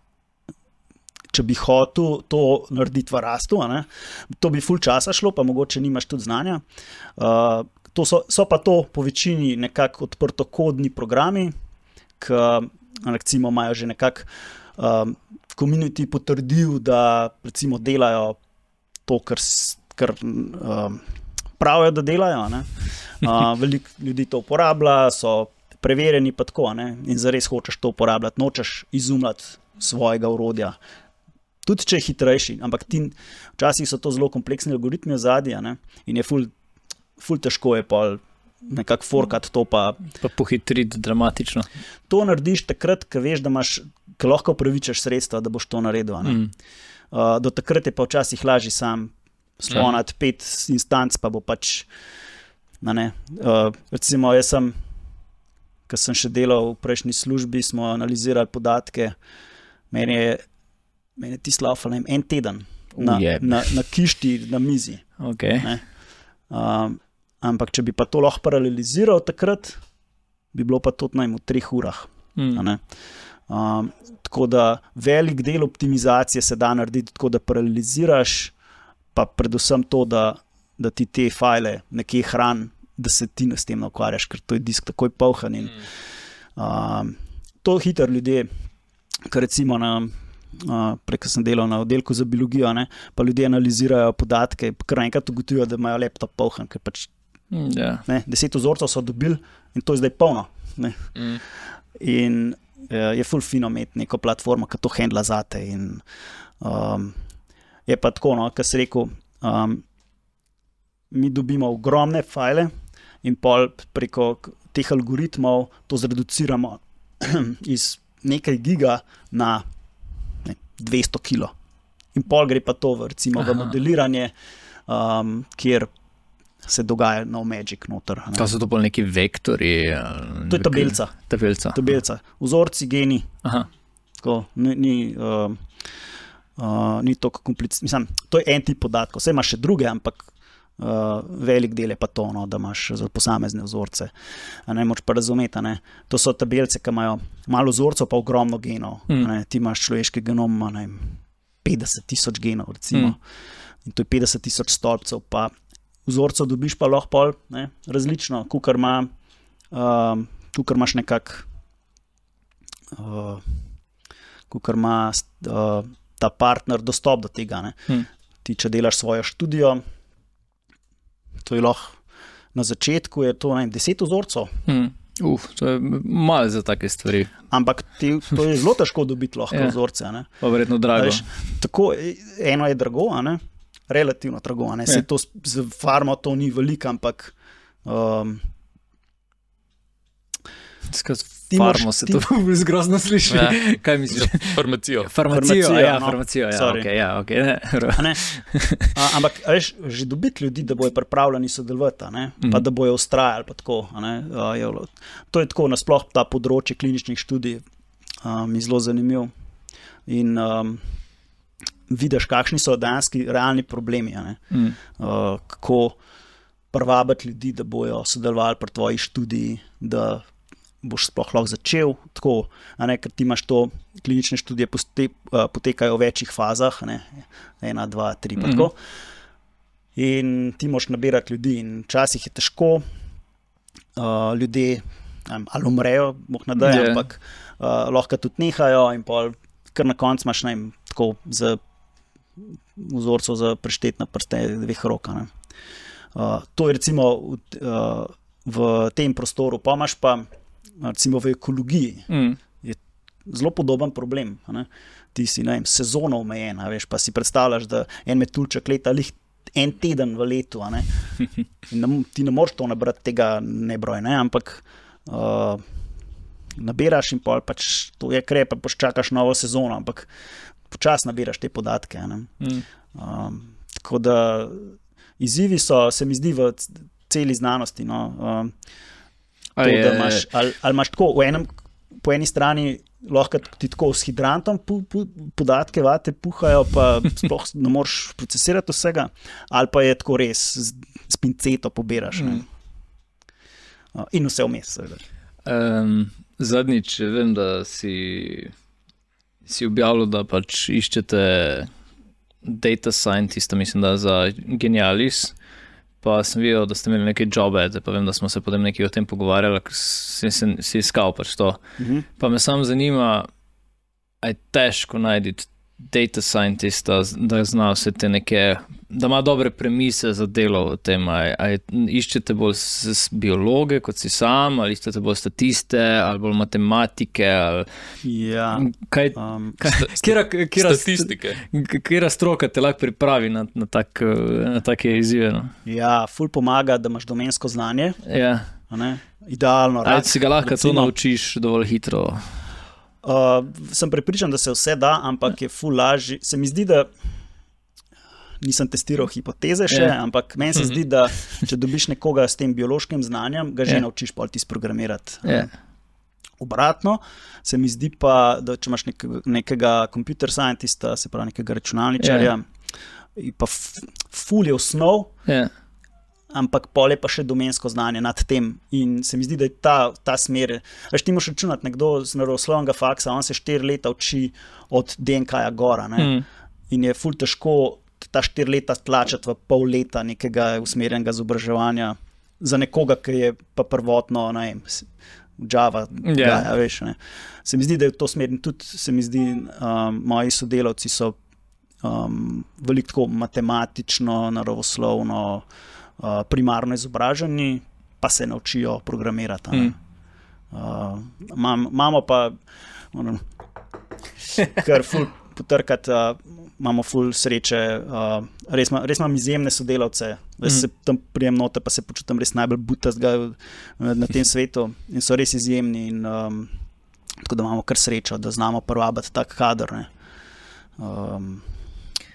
če bi hotel to narediti v Rastu, to bi ful časa šlo, pa mogoče nimaš tudi znanja. So pa to po večini nekako odprtokodni programi, ki recimo imajo že nekako community potrdil, da recimo delajo to, kar pravijo, da delajo. Veliko ljudi to uporablja, so preverjeni pa tako, in zares hočeš to uporabljati, nočeš izumljati svojega orodja. Tudi če je hitrejši, ampak včasih so to zelo kompleksni algoritmi ozadja, in je ful težko je pol nekako forkati to pa pohitriti dramatično. To narediš takrat, ko veš, da ko lahko upravičaš sredstva, da boš to naredil. Do takrat je pa včasih lažje sam slonati 5 instanc, pa bo pač recimo jaz ko sem še delal v prejšnji službi, smo analizirali podatke, meni je meni ti slaufal en teden na kišti na mizi. Okay. Ampak če bi pa to lahko paraleliziral takrat, bi bilo pa to v 3 urah. Tako da velik del optimizacije se da narediti tako, da paraleliziraš, pa predvsem to, da ti te file nekje hrani, da se ti s tem ne ukvarjaš, ker to je disk takoj polhan. In, to hitro ljudje, ker recimo preko sem delal na oddelku za biologijo, pa ljudje analizirajo podatke, kar enkrat ugotovijo, da imajo laptop polhan, ker pač 10 vzorcev so dobili in to je zdaj polno. In je ful fino imeti neko platformo, ki to handla zate. In je pa tako, kar si rekel, mi dobimo ogromne file in pol preko teh algoritmov to zreduciramo iz nekaj giga na 200 kilo. In pol gre pa to recimo v modeliranje, kjer se dogaja nov magic noter. To so to bolj neki vektori? To je tabelca. Tabelca. Vzorci, geni. Tako, ni toliko komplicirano. Mislim, to je en tip podatkov. Vse imaš še druge, ampak velik del je pa to, da imaš za posamezne vzorce. Ne moč pa razumeti. To so tabelce, ki imajo malo vzorcev, pa ogromno genov. Ti imaš človeški genom, 50,000 genov, recimo. In to je 50,000 stolpcev, pa vzorcev dobiš pa lahko različno, kakor imaš nekako, kakor ima ta partner dostop do tega. Ti, če delaš svojo študijo, to je lahko na začetku je to 10 vzorcev. To je malo za take stvari. Ampak to je zelo težko dobiti lahko vzorce. Pa verjetno drago. Tako, eno je drago, relativno drago. Se to z farmo to ni veliko, ampak farmo se to zgrozno sliši. Kaj misliš? Farmacijo. Farmacijo, ampak veš, že dobiti ljudi, da bojo pripravljeni sodelovati, pa da bojo ustrajali, pa tako. To je tako, nasploh ta področje kliničnih študij mi zelo zanimiv. In vidiš, kakšni so dejanski realni problemi. Kako privabiti ljudi, da bojo sodelovali pri tvoji študiji, da boš sploh lahko začel tako, ker ti imaš to, klinične študije potekajo v večjih fazah, 1, 2, 3, pa tako. In ti moraš nabirati ljudi in včasih je težko, ljudje ali umrejo, boh ne daj, ampak lahko tudi nehajo in pol, kar na koncu imaš tako za vzorcev za prešteti na prste 2 rok. To je recimo v tem prostoru, pa imaš pa recimo v ekologiji je zelo podoben problem. Ti si sezono omejen, veš, pa si predstavljaš, da en metuljček leta en teden v letu. Ti ne moreš to nabrati tega nebroj, ampak nabiraš in pol pač to je krep, pa počakaš novo sezono, ampak počas nabiraš te podatke. Tako da izzivi so, se mi zdi, v celi znanosti. Ali imaš tako, po eni strani lahko ti tako s hidrantom podatke vate puhajo, pa sploh ne moreš procesirati vsega, ali pa je tako res s pinceto pobiraš. In vse vmes. Zadnjič vem, da si objavil, da pač iščete data scientista, mislim, da za Genialis. Pa sem videl, da ste imeli neke jobe, pa vem, da smo se potem nekaj o tem pogovarjali, ker si iskal pač to. Pa me samo zanima, a je težko najti data scientista, da zna vse te neke, da ima dobre premise za delo v tem, iščete bolj biologe kot si sam, ali iščete bolj statiste, ali bolj matematike, ali statistike. Kera stroka te lahko pripravi na take izzive? Ja, ful pomaga, da imaš domensko znanje. Idealno. Ali si ga lahko to naučiš dovolj hitro? Sem prepričan, da se vse da, ampak je ful lažji. Se mi zdi, da nisem testiral hipoteze še, ampak meni se zdi, da če dobiš nekoga s tem biološkim znanjem, ga že naučiš pol ti sprogramirati. Obratno, se mi zdi pa, da če imaš nekega computer scientista, se pravi nekega računalničarja, pa ful je osnov, ampak pol je pa še domensko znanje nad tem. In se mi zdi, da je ta smer. Veš, ti moraš računati nekdo z naravoslovnega faksa, on se 4 leta uči od DNK-ja gora. In je ful težko ta 4 leta tlačati v pol leta nekega usmerjenega izobraževanja za nekoga, ki je pa prvotno, ne vem, Java, veš, ne. Se mi zdi, da je v to smer in tudi se mi zdi, moji sodelavci so veliko tako matematično, naravoslovno, primarno izobraženi, pa se naučijo programirati. Imamo pa kar ful potrkati, imamo ful sreče, res imam izjemne sodelavce, se tam prijem note, pa se počutim res najbolj butastga na tem svetu in so res izjemni in tako da imamo kar srečo, da znamo privabiti tak kader.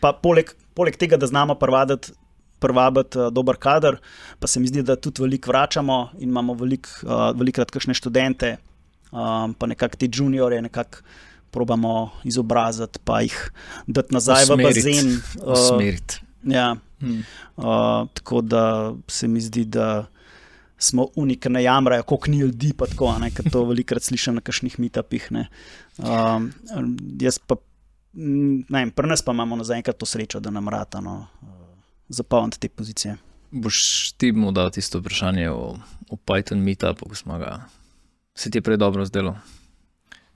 Pa poleg tega, da znamo privabiti dober kader, pa se mi zdi, da tudi veliko vračamo in imamo velikokrat kakšne študente, pa nekako te juniorje nekako probamo izobraziti, pa jih dati nazaj v bazen. Usmeriti. Ja. Tako da se mi zdi, da smo ker ne jamrajo, koliko ni ljudi, pa tako, ker to velikokrat slišim na kakšnih meetupih. Jaz pa, ne vem, pri nas pa imamo zaenkrat to srečo, da nam rata zapolniti te pozicije. Boš ti mu dal tisto vprašanje o Python meetupu, ko smo ga, se ti je prej dobro zdelo?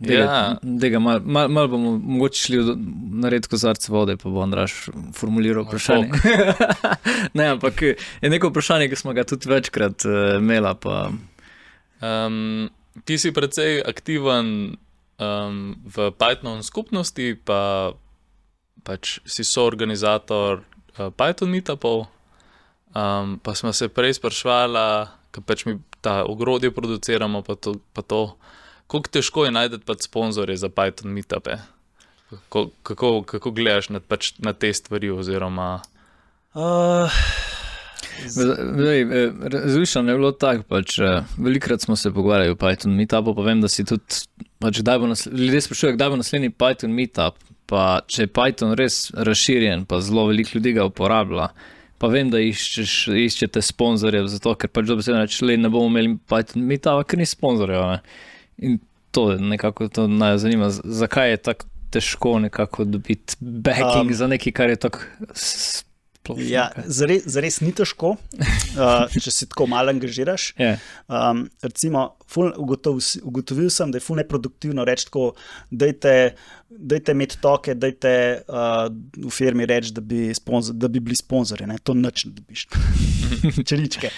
Malo bomo mogoče šli narediti kozarce vode, pa bo Andraž formuliral vprašanje. Ne, ampak je neko vprašanje, ki smo ga tudi večkrat imela. Ti si precej aktiven v Python skupnosti, pa pač si soorganizator Python meetupov, pa smo se prej sprašvala, ker pač mi ta ogrodje produciramo, pa to, koliko težko je najti pač sponzorje za Python meetupe? Kako gledaš na te stvari oziroma? Različno je bilo tako, pač velikrat smo se pogovarjali o Python meetupu, pa vem, da si tudi, pač ljudje sprašujejo, kdaj bo naslednji Python meetup, pa če je Python res razširjen, pa zelo veliko ljudi ga uporablja, pa vem, da iščete sponzorjev, zato ker pač dobesedno reči, ne bomo imeli Python meetupa, ker ni sponzorjev. In to nekako to naj zanima, zakaj je tako težko nekako dobiti backing za nekaj, kar je tako sploh. Ja, zares ni težko, če si tako malo angažiraš. Recimo, ugotovil sem, da je ful neproduktivno reči tako, dajte imeti toke, dajte v firmi reči, da bi bili sponzorji, to nič ne dobiš. Čeličke.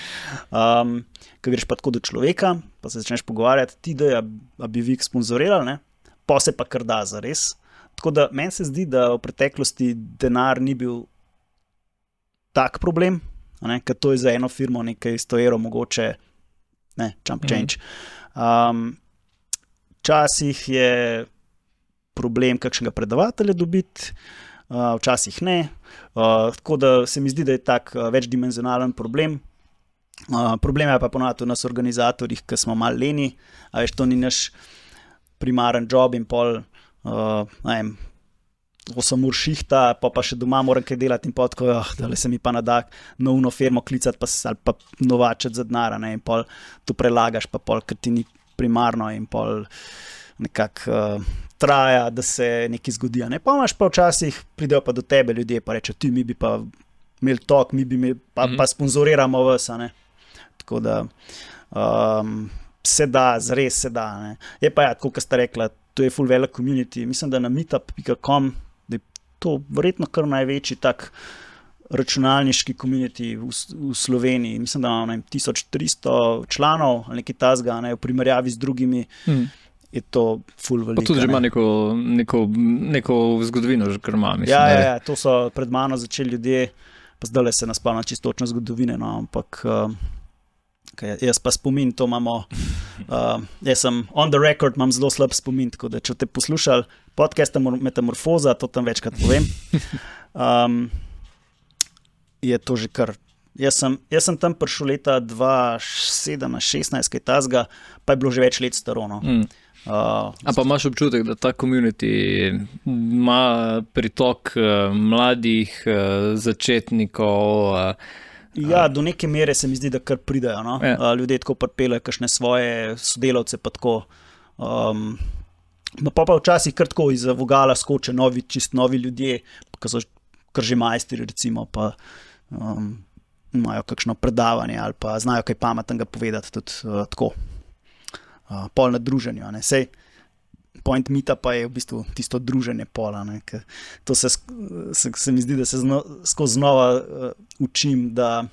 Ko greš pa tako do človeka, pa se začneš pogovarjati, ti da bi vi sponzorirali, pa se pa kar da zares. Tako da meni se zdi, da v preteklosti denar ni bil tak problem, ker to je za eno firmo nekaj 100 evrov mogoče, chump change. Včasih je problem kakšnega predavatelja dobiti, včasih ne. Tako da se mi zdi, da je tak večdimenzionalen problem. Problem je pa ponovno nas organizatorjih, ki smo malo leni, a veš, to ni naš primaren job in pol, ne vem, 8 ur šihta, pa še doma moram kaj delati in pol tako, da se mi pa nada na uno firmo klicati ali pa novačati za denar, in pol to prelagaš, pa pol, ker ti ni primarno in pol nekako traja, da se nekaj zgodi. Pa imaš pa včasih, pridejo pa do tebe ljudje, pa reče, ti mi bi pa imeli tok, mi bi pa sponzoriramo vas, tako da se da, zares se da. Je pa tako, kot ste rekla, to je full velik community, mislim, da na meetup.com, da je to verjetno kar največji tak računalniški community v Sloveniji, mislim, da imamo 1300 članov ali nekaj tasga, v primerjavi z drugimi, je to full veliko. Pa tudi že ima neko zgodovino, že kar ima, mislim. Ja, to so pred mano začeli ljudje, pa zdaj se naspavlja čisto točno zgodovine, ampak jaz pa spomin, to imamo, jaz sem on the record, imam zelo slab spomin, tako da če te poslušali podcast Metamorfoza, to tam večkrat povem, je to že kar. Jaz sem tam prišel leta 2017-16, kaj tazga, pa je bilo že več let staro. A pa imaš občutek, da ta community ima pritok mladih začetnikov? Ja, do neke mere se mi zdi, da kar pridajo. No? Ja. Ljudje tako pripeljejo kakšne svoje sodelavce, pa tako. Pa včasih kar tako iz vogala skoče čist novi ljudje, ki so kar že majstri, recimo, pa imajo kakšno predavanje ali pa znajo kaj pametnega povedati tudi tako. Pol na druženju. Sej, point meetupa je v bistvu tisto druženje pola. To se mi zdi, da se skozi znova učim, da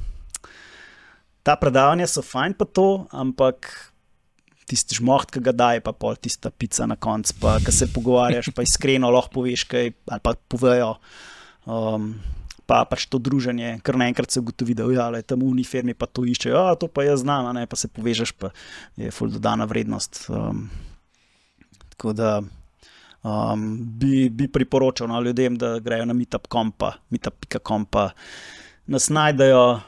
ta predavanja so fajn pa to, ampak tisti žmoht, ki ga daje, pa pol tista pica na koncu, pa ki se pogovarjaš, pa iskreno lahko poveš kaj, ali pa povejo. Pa pač to druženje, kar naenkrat se ugotovi, da tam v uni firmi pa to iščejo, to pa jaz znam, pa se povežeš, pa je ful dodana vrednost. Tako da bi priporočal ljudem, da grejo na meetup.com pa nas najdejo,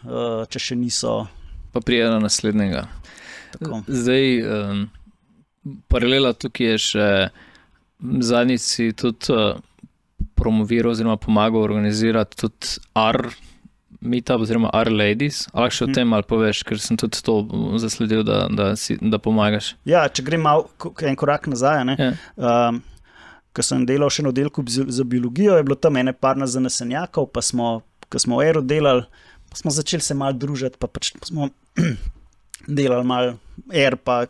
če še niso. Pa prijedo naslednjega. Tako. Zdaj, paralela tukaj je še zadnjič si tudi promoviral oziroma pomagal organizirati tudi meetup oziroma R-Ladies. Ali še o tem malo poveš, ker sem tudi to zasledil, da pomagaš. Ja, če grem malo en korak nazaj, ko sem delal še na oddelku za biologijo, je bilo tam ene parna zanesenjakov, pa ko smo v Aero delali, pa smo začeli se malo družiti, pa smo delali malo pa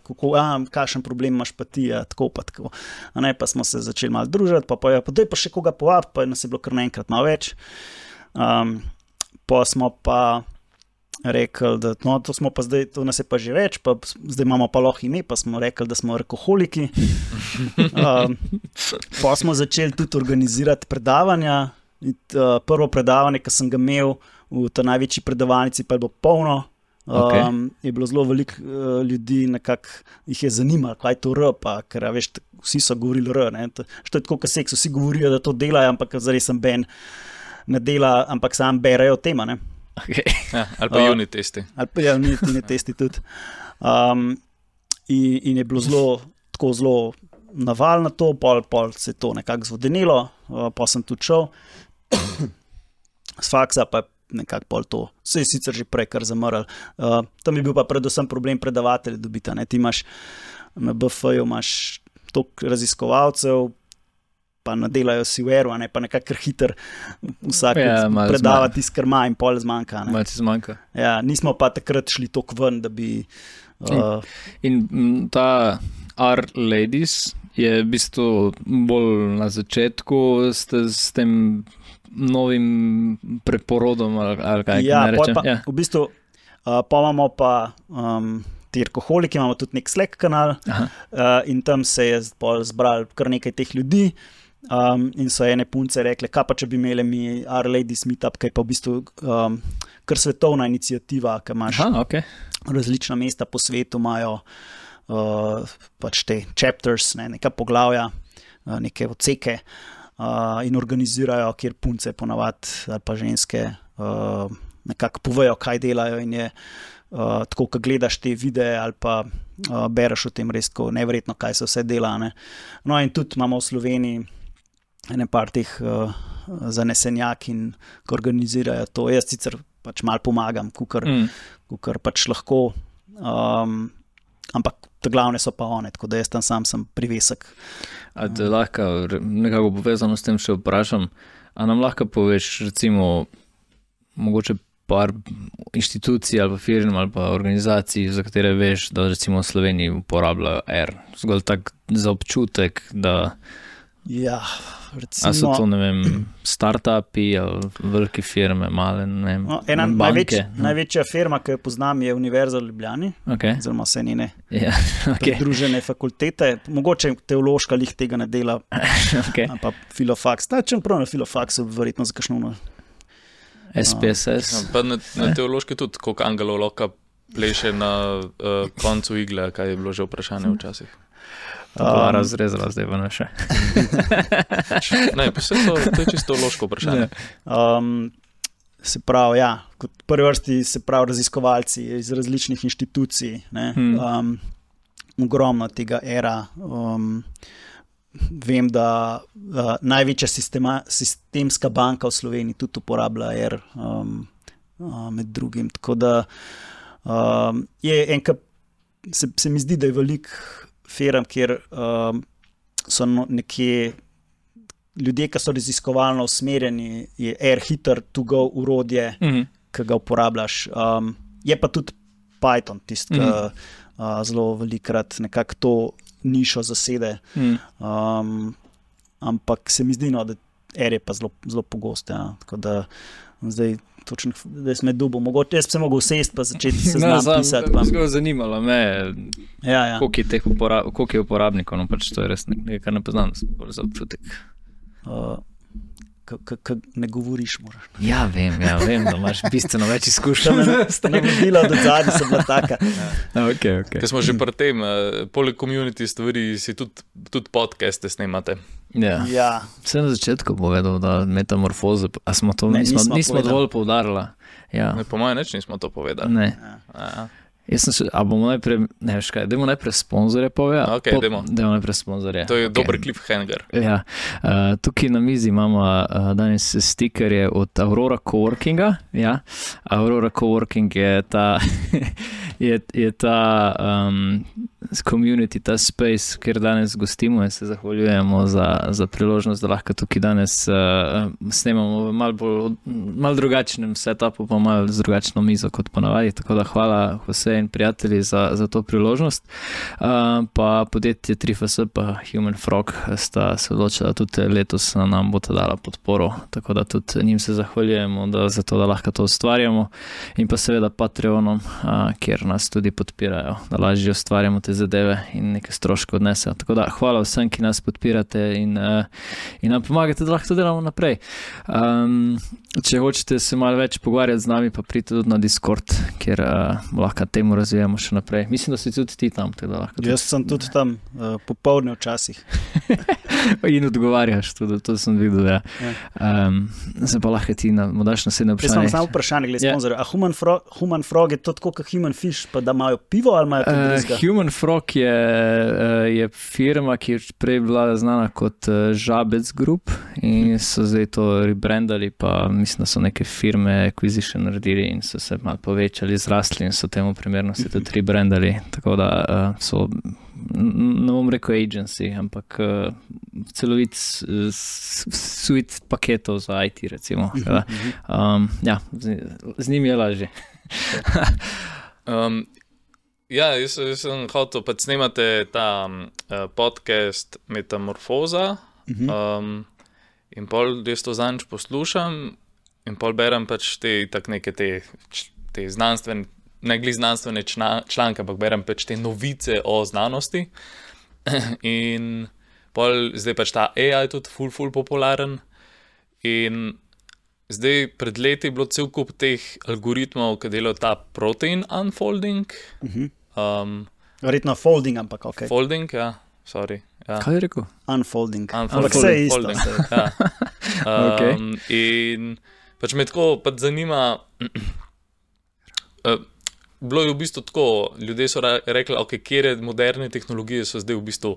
kakšen problem imaš pa ti, tako pa tako. Pa smo se začeli malo družiti, pa daj pa še koga povabiti, pa nas je bilo kar naenkrat malo več. Pa smo pa rekli, da to smo pa zdaj, to nas je pa že več, pa zdaj imamo pa lahko ime, pa smo rekli, da smo alkoholiki. Pa smo začeli tudi organizirati predavanja. Prvo predavanje, ki sem ga imel v ta največji predavalnici, pa je bilo polno. Je bilo zelo veliko ljudi, nekako jih je zanimalo, kaj je to R, pa ker veš, vsi so govorili R. Što je tako, kot seks, vsi govorijo, da to delajo, ampak zares sem ben ne dela, ampak sam berejo tema. Okay. Ja, ali pa unit testi. Ali pa unit testi tudi. In je bilo zelo naval na to, pol se je to nekako zvodenilo, pa sem tudi šel. S faksa pa nekako pol to, se je sicer že prej kar zamrl. Tam je bil pa predvsem problem predavatelja dobiti. Ti imaš na BF-ju toliko raziskovalcev, pa nadelajo si v Aero, pa nekako hiter vsak predava tisto, kar ima in pol zmanjka. Malo ti zmanjka. Ja, nismo pa takrat šli toliko ven, da bi... In ta R-Ladies je v bistvu bolj na začetku s tem novim preporodom ali kaj ne rečem. V bistvu pa imamo pa ti alkoholiki, imamo tudi nek Slack kanal in tam se je zbral kar nekaj teh ljudi in so ene punce rekle, kaj pa če bi imeli mi R-Ladies meetup, kaj pa v bistvu kar svetovna iniciativa, ki imaš različna mesta po svetu, imajo pač te chapters, neka poglavja, neke odseke, in organizirajo, kjer punce ponavadi ali pa ženske nekako povejo, kaj delajo in je tako, ko gledaš te videe ali pa bereš o tem res tako neverjetno, kaj se vse dela. No in tudi imamo v Sloveniji ene par teh zanesenjak in ko organizirajo to. Jaz sicer pač malo pomagam, kukor pač lahko, ampak te glavne so pa one, tako da jaz tam sam sem privesek. A te lahko nekako povezano s tem še vprašam, a nam lahko poveš recimo mogoče par inštitucij ali pa firm ali pa organizacij, za katere veš, da recimo v Sloveniji uporabljajo R, zgolj tak za občutek, da... Ja, recimo... A so to, ne vem, startupi ali velike firme, male, ne vem, ena banke? Največja firma, ki jo poznam, je Univerza v Ljubljani, oziroma vse njene pridružene fakultete. Mogoče teološka lih tega ne dela, pa Filofax. Čeprav na Filofaxu verjetno za kakšno SPSS. Pa na teološki tudi, koliko angelov lahko pleše na koncu igle, kaj je bilo že vprašanje včasih. To je razrezala, zdaj pa ne še. Ne, pa to je čisto teološko vprašanje. Se pravi, kot prvi vrsti se pravi raziskovalci iz različnih inštitucij, ogromno tega era. Vem, da največja sistemska banka v Sloveniji tudi uporablja R med drugim. Tako da se mi zdi, da je veliko firm, kjer so nekje ljudje, ki so raziskovalno usmerjeni, je R-hiter to go urodje, ki ga uporabljaš. Je pa tudi Python, tisti, ki zelo velikrat nekako to nišo zasede. Ampak se mi zdi, da R je pa zelo pogost. Ja. Tako da zdaj točno, da sem dubo. Mogoče jaz bi se mogel sesti pa začeti seznam pisati. Zelo zanimalo me, koliko je uporabnikov, no pač to je res nekaj, kar ne poznam, da sem bolj za občutek. Ne govoriš, moraš. Ja, vem, da imaš bistveno več izkušenj. Navodila do zadnji so bila taka. Okay. Ker smo že pri tem, poleg community stvari si tudi podcaste snemate. Ja. Vse na začetku povedal, da metamorfoze, a smo to nismo dovolj poudarili. Ja. Po mojem nismo to povedali. Ne. Bomo najprej, dajmo najprej sponzorje povedati. Ok, dajmo najprej sponzorje. To je dober cliffhanger. Ja. Tukaj na mizi imamo danes stikerje od Aurora Coworkinga. Ja. Aurora Coworking je ta community, ta space, kjer danes gostimo in se zahvaljujemo za priložnost, da lahko tukaj danes snemamo v malo drugačnem setupu, pa malo z drugačno mizo kot ponavadi. Tako da hvala vse in prijatelji za to priložnost. Pa podjetje 3FS pa Human Frog sta se odločila, tudi letos nam bo ta dala podporo, tako da tudi njim se zahvaljujemo za to, da lahko to ustvarjamo, in pa seveda Patreonom, kjer nas tudi podpirajo, da lažje ustvarjamo te zadeve in nekaj stroškov odnesejo. Tako da hvala vsem, ki nas podpirate in nam pomagate, da lahko to delamo naprej. Če hočete se malo več pogovarjati z nami, pa pridite tudi na Discord, kjer lahko temu razvijamo še naprej. Mislim, da si tudi ti tam. Jaz sem tudi tam, popoldne včasih. In odgovarjaš tudi, to sem videl. Ja. Zdaj pa lahko ti mu daš naslednje vprašanje. Jaz sem samo vprašanje glede sponzorja. A Human Frog je to tako kot Human Fish, pa da imajo pivo ali imajo kaj drugega? Human Frog je firma, ki je prej bila znana kot Žabec Group in so zdaj to rebrandali, pa mislim, da so neke firme acquisition naredili in so se malo povečali, zrasli in so temu primerno se tudi rebrandali. Tako da so, ne bom rekel agency, ampak celovit suite paketov za IT, recimo. Ja, z njimi je lažje. Jaz sem hotel, pa snemate ta podcast Metamorfoza, in pol jaz to zanj poslušam in pol berem pač te znanstvene, ne glede znanstvene članke, ampak berem pač te novice o znanosti. In pol zdaj pač ta AI tudi ful popularen. In zdaj pred leti je bilo cel kup teh algoritmov, ki delajo ta protein unfolding. Verjetno folding, ampak ok. Folding, ja, sorry. Ja. Kaj je rekel? Unfolding. Ampak vse je isto. Ja. Okay. In pač me tako zanima, bilo je v bistvu tako, ljudje so rekli, ok, kjere moderne tehnologije so zdaj v bistvu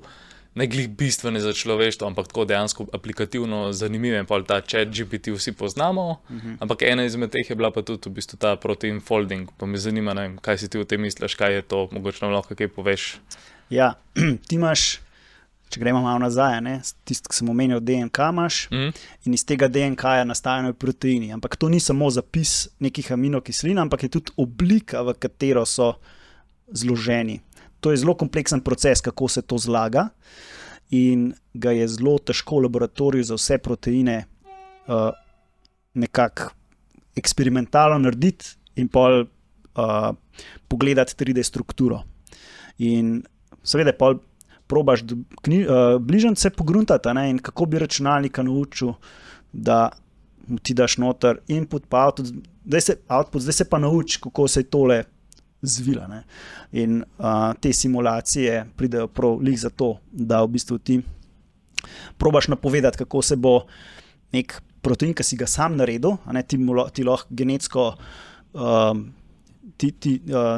ne glih bistvene za človeštvo, ampak tako dejansko aplikativno zanimive. Pa ta ChatGPT vsi poznamo, ampak ena izmed teh je bila pa tudi v bistvu ta protein folding. Pa me zanima, ne vem, kaj si ti o tem misliš, kaj je to, mogoče nam lahko kaj poveš. Ja, ti imaš, če gremo malo nazaj, tisto, ki sem omenil, DNK imaš, in iz tega DNK-ja nastajajo proteini. Ampak to ni samo zapis nekih aminokislin, ampak je tudi oblika, v katero so zloženi. To je zelo kompleksen proces, kako se to zlaga, in ga je zelo težko v laboratoriju za vse proteine nekako eksperimentalno narediti in pol pogledati 3D strukturo. In seveda pol probaš bližnjice pogruntati, in kako bi računalnika naučil, da mu ti daš noter input pa output, zdaj se pa nauči, kako se je tole zvila. In te simulacije pridejo prav lih za to, da v bistvu ti probaš napovedati, kako se bo nek protein, ki si ga sam naredil, ti lahko genetsko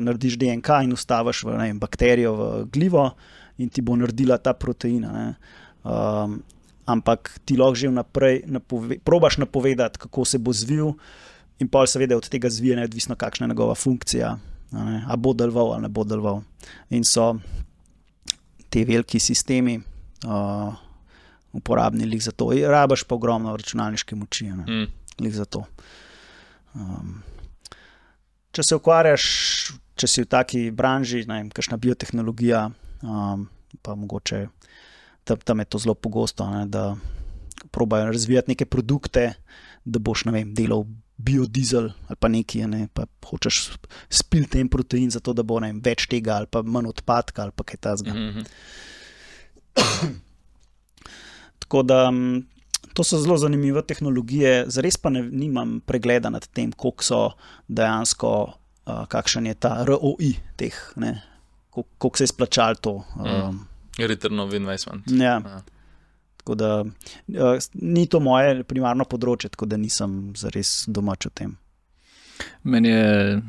narediš DNK in ustaviš bakterijo v glivo in ti bo naredila ta proteina. Ne. Ampak ti lahko že vnaprej probaš napovedati, kako se bo zvil in pol seveda od tega zvije neodvisno, kakšna je njegova funkcija. A bo deloval ali ne bo deloval. In so te veliki sistemi uporabni lih za to. Rabaš pa ogromno računalniške moči, lih za to. Če se ukvarjaš, če si v taki branži, ne vem, kakšna biotehnologija, pa mogoče tam je to zelo pogosto, ne, da probajo razvijati neke produkte, da boš, ne vem, delal biodizel ali pa nekaj, ne, pa hočeš spiliti en protein zato, da bo, ne vem, več tega ali pa manj odpadka ali pa kaj takega. Tako da to so zelo zanimive tehnologije, zares pa nimam pregleda nad tem, koliko so dejansko, kakšen je ta ROI teh, ne, koliko se je splačalo to. Return of investment. Ja. Tako da ni to moje primarno področje, tako da nisem zares domač o tem. Meni je,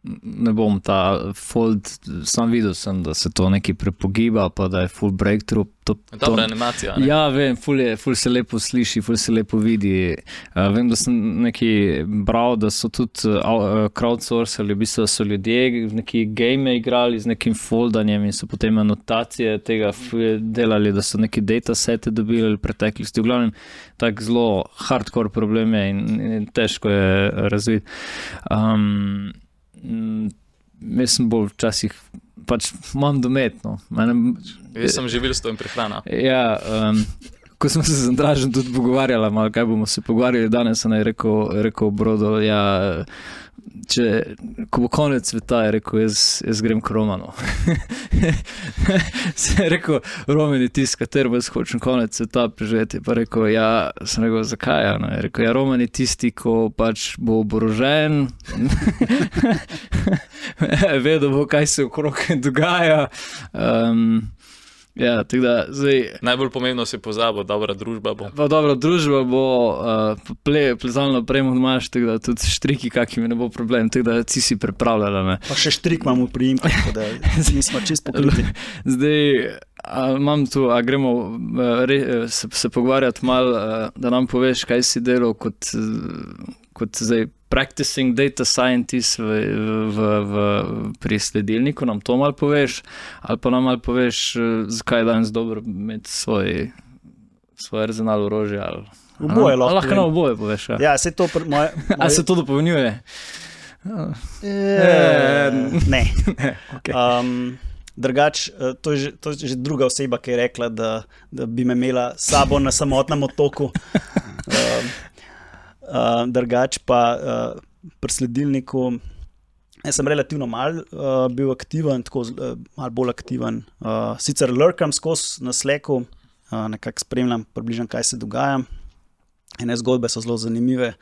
ne bom ta fold, sam videl sem, da se to nekaj prepogiba, pa da je full breakthrough. Dobra animacija. Ne? Ja, vem, ful se lepo sliši, ful se lepo vidi. Vem, da sem nekaj bral, da so tudi crowdsourcali, v bistvu so ljudje v neki game igrali z nekim foldanjem in so potem anotacije tega delali, da so neki datasete dobili v preteklosti. V glavnem, tak zelo hardcore problem je in težko je razviti. Jaz sem bolj včasih pač imam dometno. Jaz sem živil s to in prehrana. Ja, ko smo se z Andražem tudi pogovarjali, malo kaj bomo se pogovarjali danes, sem rekel Brodo, ja, ko bo konec sveta, je rekel, jaz grem k Romanu. Sem rekel, Roman je tisti, katero jaz hočem konec sveta preživeti. Pa rekel, ja, sem rekel, zakaj? No? Je rekel, ja, Roman je tisti, ko pač bo oborožen, vedel bo, kaj se okrog dogaja. Ja, tako da zdaj... Najbolj pomembno si pozabil, dobra družba bo. Pa dobra družba bo, plezalno opremo imaš, tako da tudi štriki kakimi ne bo problem, tako da ti si pripravljala. Ne. Pa še štrik imamo v priimku, tako da nismo čist pokriti. Zdaj, imam tu, gremo se pogovarjati malo, da nam poveš, kaj si delal kot zdaj practicing data scientist pri sledilniku, nam to malo poveš, ali pa nam malo poveš, zakaj je danes dobro imeti svoj arzenal orožja. Oboje lahko. Lahko nam oboje poveš. Ja, se to A se to dopolnjuje? Ne. Okay. Drugač, to je že druga oseba, ki je rekla, da bi me imela sabo na samotnem otoku. Drugač pa pri sledilniku jaz sem relativno malo bil aktiven, tako malo bolj aktiven. Sicer lurkam skozi na Slacku, nekako spremljam približno, kaj se dogaja. Ene zgodbe so zelo zanimive.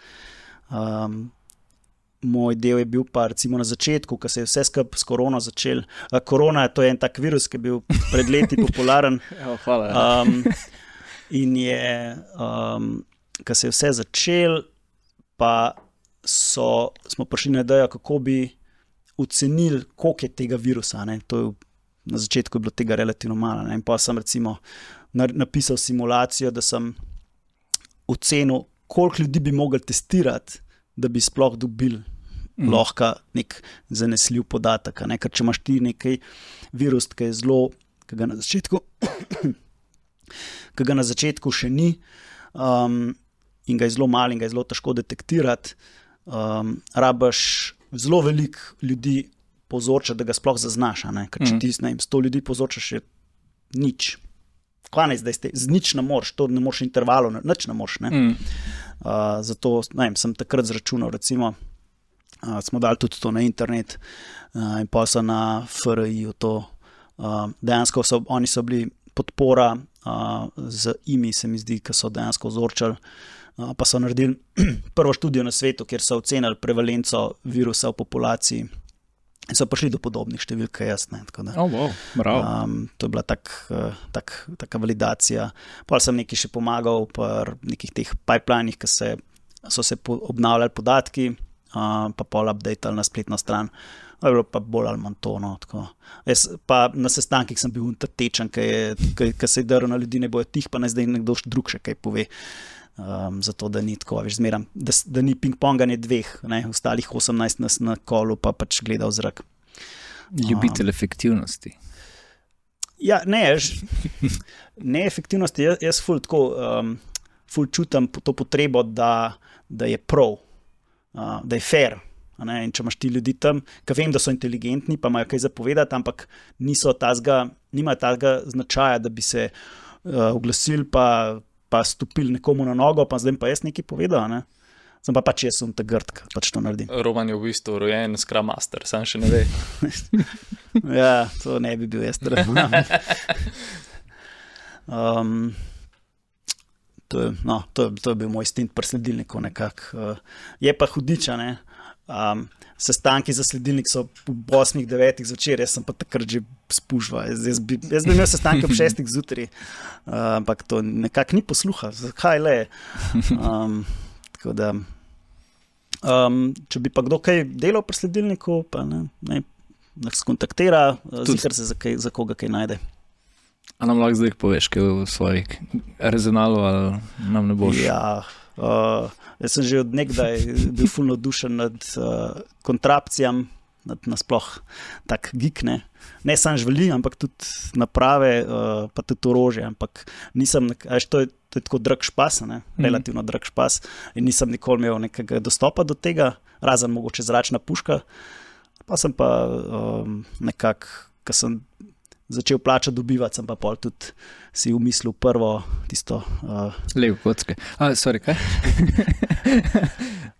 Moj del je bil pa recimo na začetku, ko se je vse skupaj s korono začel. Korona, to je en tak virus, ki je bil pred leti popularen. Hvala. In je, ko se je vse začel, pa smo prišli na idejo, kako bi ocenili, koliko je tega virusa. Ne? Na začetku je bilo tega relativno malo. Ne? In pa sem recimo napisal simulacijo, da sem ocenil, koliko ljudi bi mogli testirati, da bi sploh dobili lahko nek zanesljiv podatek. Ne? Ker če imaš ti nekaj virus, ki je zelo, ki ga na začetku še ni, in ga je zelo malo in ga je zelo težko detektirati, rabaš zelo veliko ljudi povzročati, da ga sploh zaznaš. Ker če ti 100 ljudi povzročaš, je nič. Kvanec, da z nič ne moreš, to ne moreš intervalno, nič ne moreš. Ne? Zato sem takrat zračunal, recimo, smo dali tudi to na internet in pa so na FRI-ju to. Dejansko oni so bili podpora z IMI, se mi zdi, ki so dejansko vzorčali, pa so naredili prvo študijo na svetu, kjer so ocenili prevalenco virusa v populaciji in so prišli do podobnih številk, jaz. Wow, bravo. To je bila taka validacija. Pa sem nekaj še pomagal pri nekih teh pipelinih, ki so se obnavljali podatki, pa pol updateali na spletno stran. To je bilo pa bolj ali manj to. No, jaz pa na sestankih sem bil tečen, ki se je drl na ljudi, ne bojo tih, pa naj zdaj nekdo drug še kaj pove. Zato, da ni tako, veš, zmeram, da ni ping-ponganje dveh, ne, ostalih 18 nas na kolu pa pač gleda v zrak. Ljubitelj efektivnosti. Ja, ne efektivnosti, jaz ful čutim to potrebo, da je prav, da je fair. In če imaš ti ljudi tam, ki vem, da so inteligentni, pa imajo kaj zapovedati, ampak nimajo tazga značaja, da bi se oglasili pa stopili nekomu na nogo, pa zdaj pa jaz nekaj povedal, ne? Sem pa pač jaz sem ta grd, ki pač to naredim. Roman je v bistvu rojen Scrum Master, sam še ne ve. Ja, to ne bi bil jaz. To je bil moj stint pri sledilniku nekako. Je pa hudiča, ne? Sestanki za sledilnik so v 8-9 zvečer, jaz sem pa takrat že spužval. Jaz bi imel sestanke ob 6 zjutraj, ampak to nekako ni posluha. Zakaj le? Tako da, če bi pa kdo kaj delal pri sledilniku, pa ne skontaktira, zikar se za koga kaj najde. A nam lahko zdaj poveš, kaj v svojih rezonalu, ali nam ne boš? Ja, jaz sem že od nekdaj bil ful navdušen nad kontrapcijam, nasploh tak geek, ne samo živali, ampak tudi naprave, pa tudi orožje, ampak nisem, to je tako drag špas, relativno drag špas, in nisem nikoli imel nekega dostopa do tega, razen mogoče zračna puška, pa sem pa nekako, ko sem začel plačati dobivati, sem pa pol tudi si umislil prvo tisto... Lego kocke. Sorry, kaj?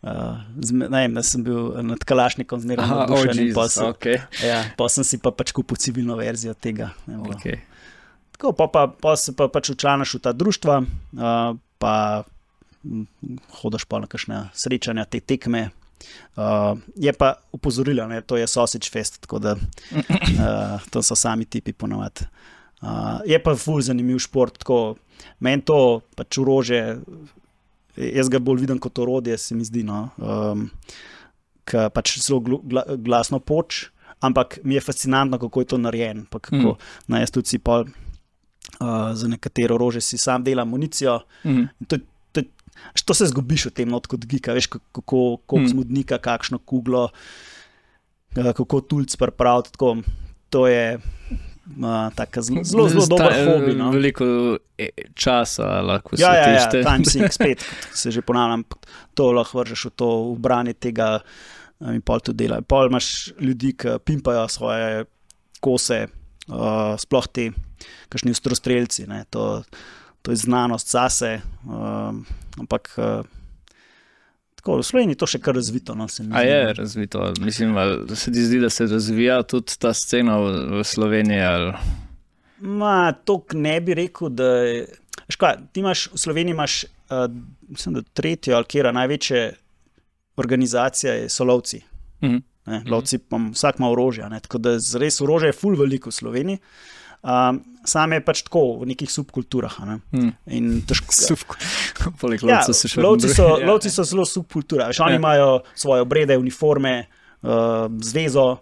Da sem bil nad Kalašnikom zmeraj navdušen in pa sem si pa pač kupil civilno verzijo tega. Okay. Tako, pa se pa pač včlanaš v ta društva, pa hodaš pa na kakšne srečanja, te tekme. Je pa upozorila, to je Sausage Fest, tako da to so sami tipi ponovadi. Je pa ful zanimiv šport, tako meni to pač orožje, jaz ga bolj vidim kot orodje, se mi zdi, ki pač zelo glasno poč, ampak mi je fascinantno, kako je to narejen, pa kako, jaz tudi si pol za nekatero orožje si sam delam municijo, to se zgubiš v tem not kot gika, veš, kako smodnika, kakšno kuglo, kako tulc pripraviti, tako, to je zelo dober hobi. No? Veliko časa lahko se tešte. Ja, time sink spet, se že ponavljam, to lahko vržeš v to ubranje tega in pol to dela. Pol imaš ljudi, ki pimpajo svoje kose, sploh ti, kakšni ostrostrelci, ne, to je znanost zase, ampak tako, v Sloveniji to še kar razvito. No, se mi zdi, je razvito? Mislim, da se ti zdi, da se razvija tudi ta scena v Sloveniji? Ali? Tok ne bi rekel, da je... Ti imaš, v Sloveniji imaš, mislim, da tretjo ali kjera največje organizacija so lovci. Lovci, vsak ima orožje, tako da res orožje je ful veliko v Sloveniji. Sam je pač tako v nekih subkulturah. Lovci so zelo subkultura. Oni imajo svoje obrede, uniforme, zvezo.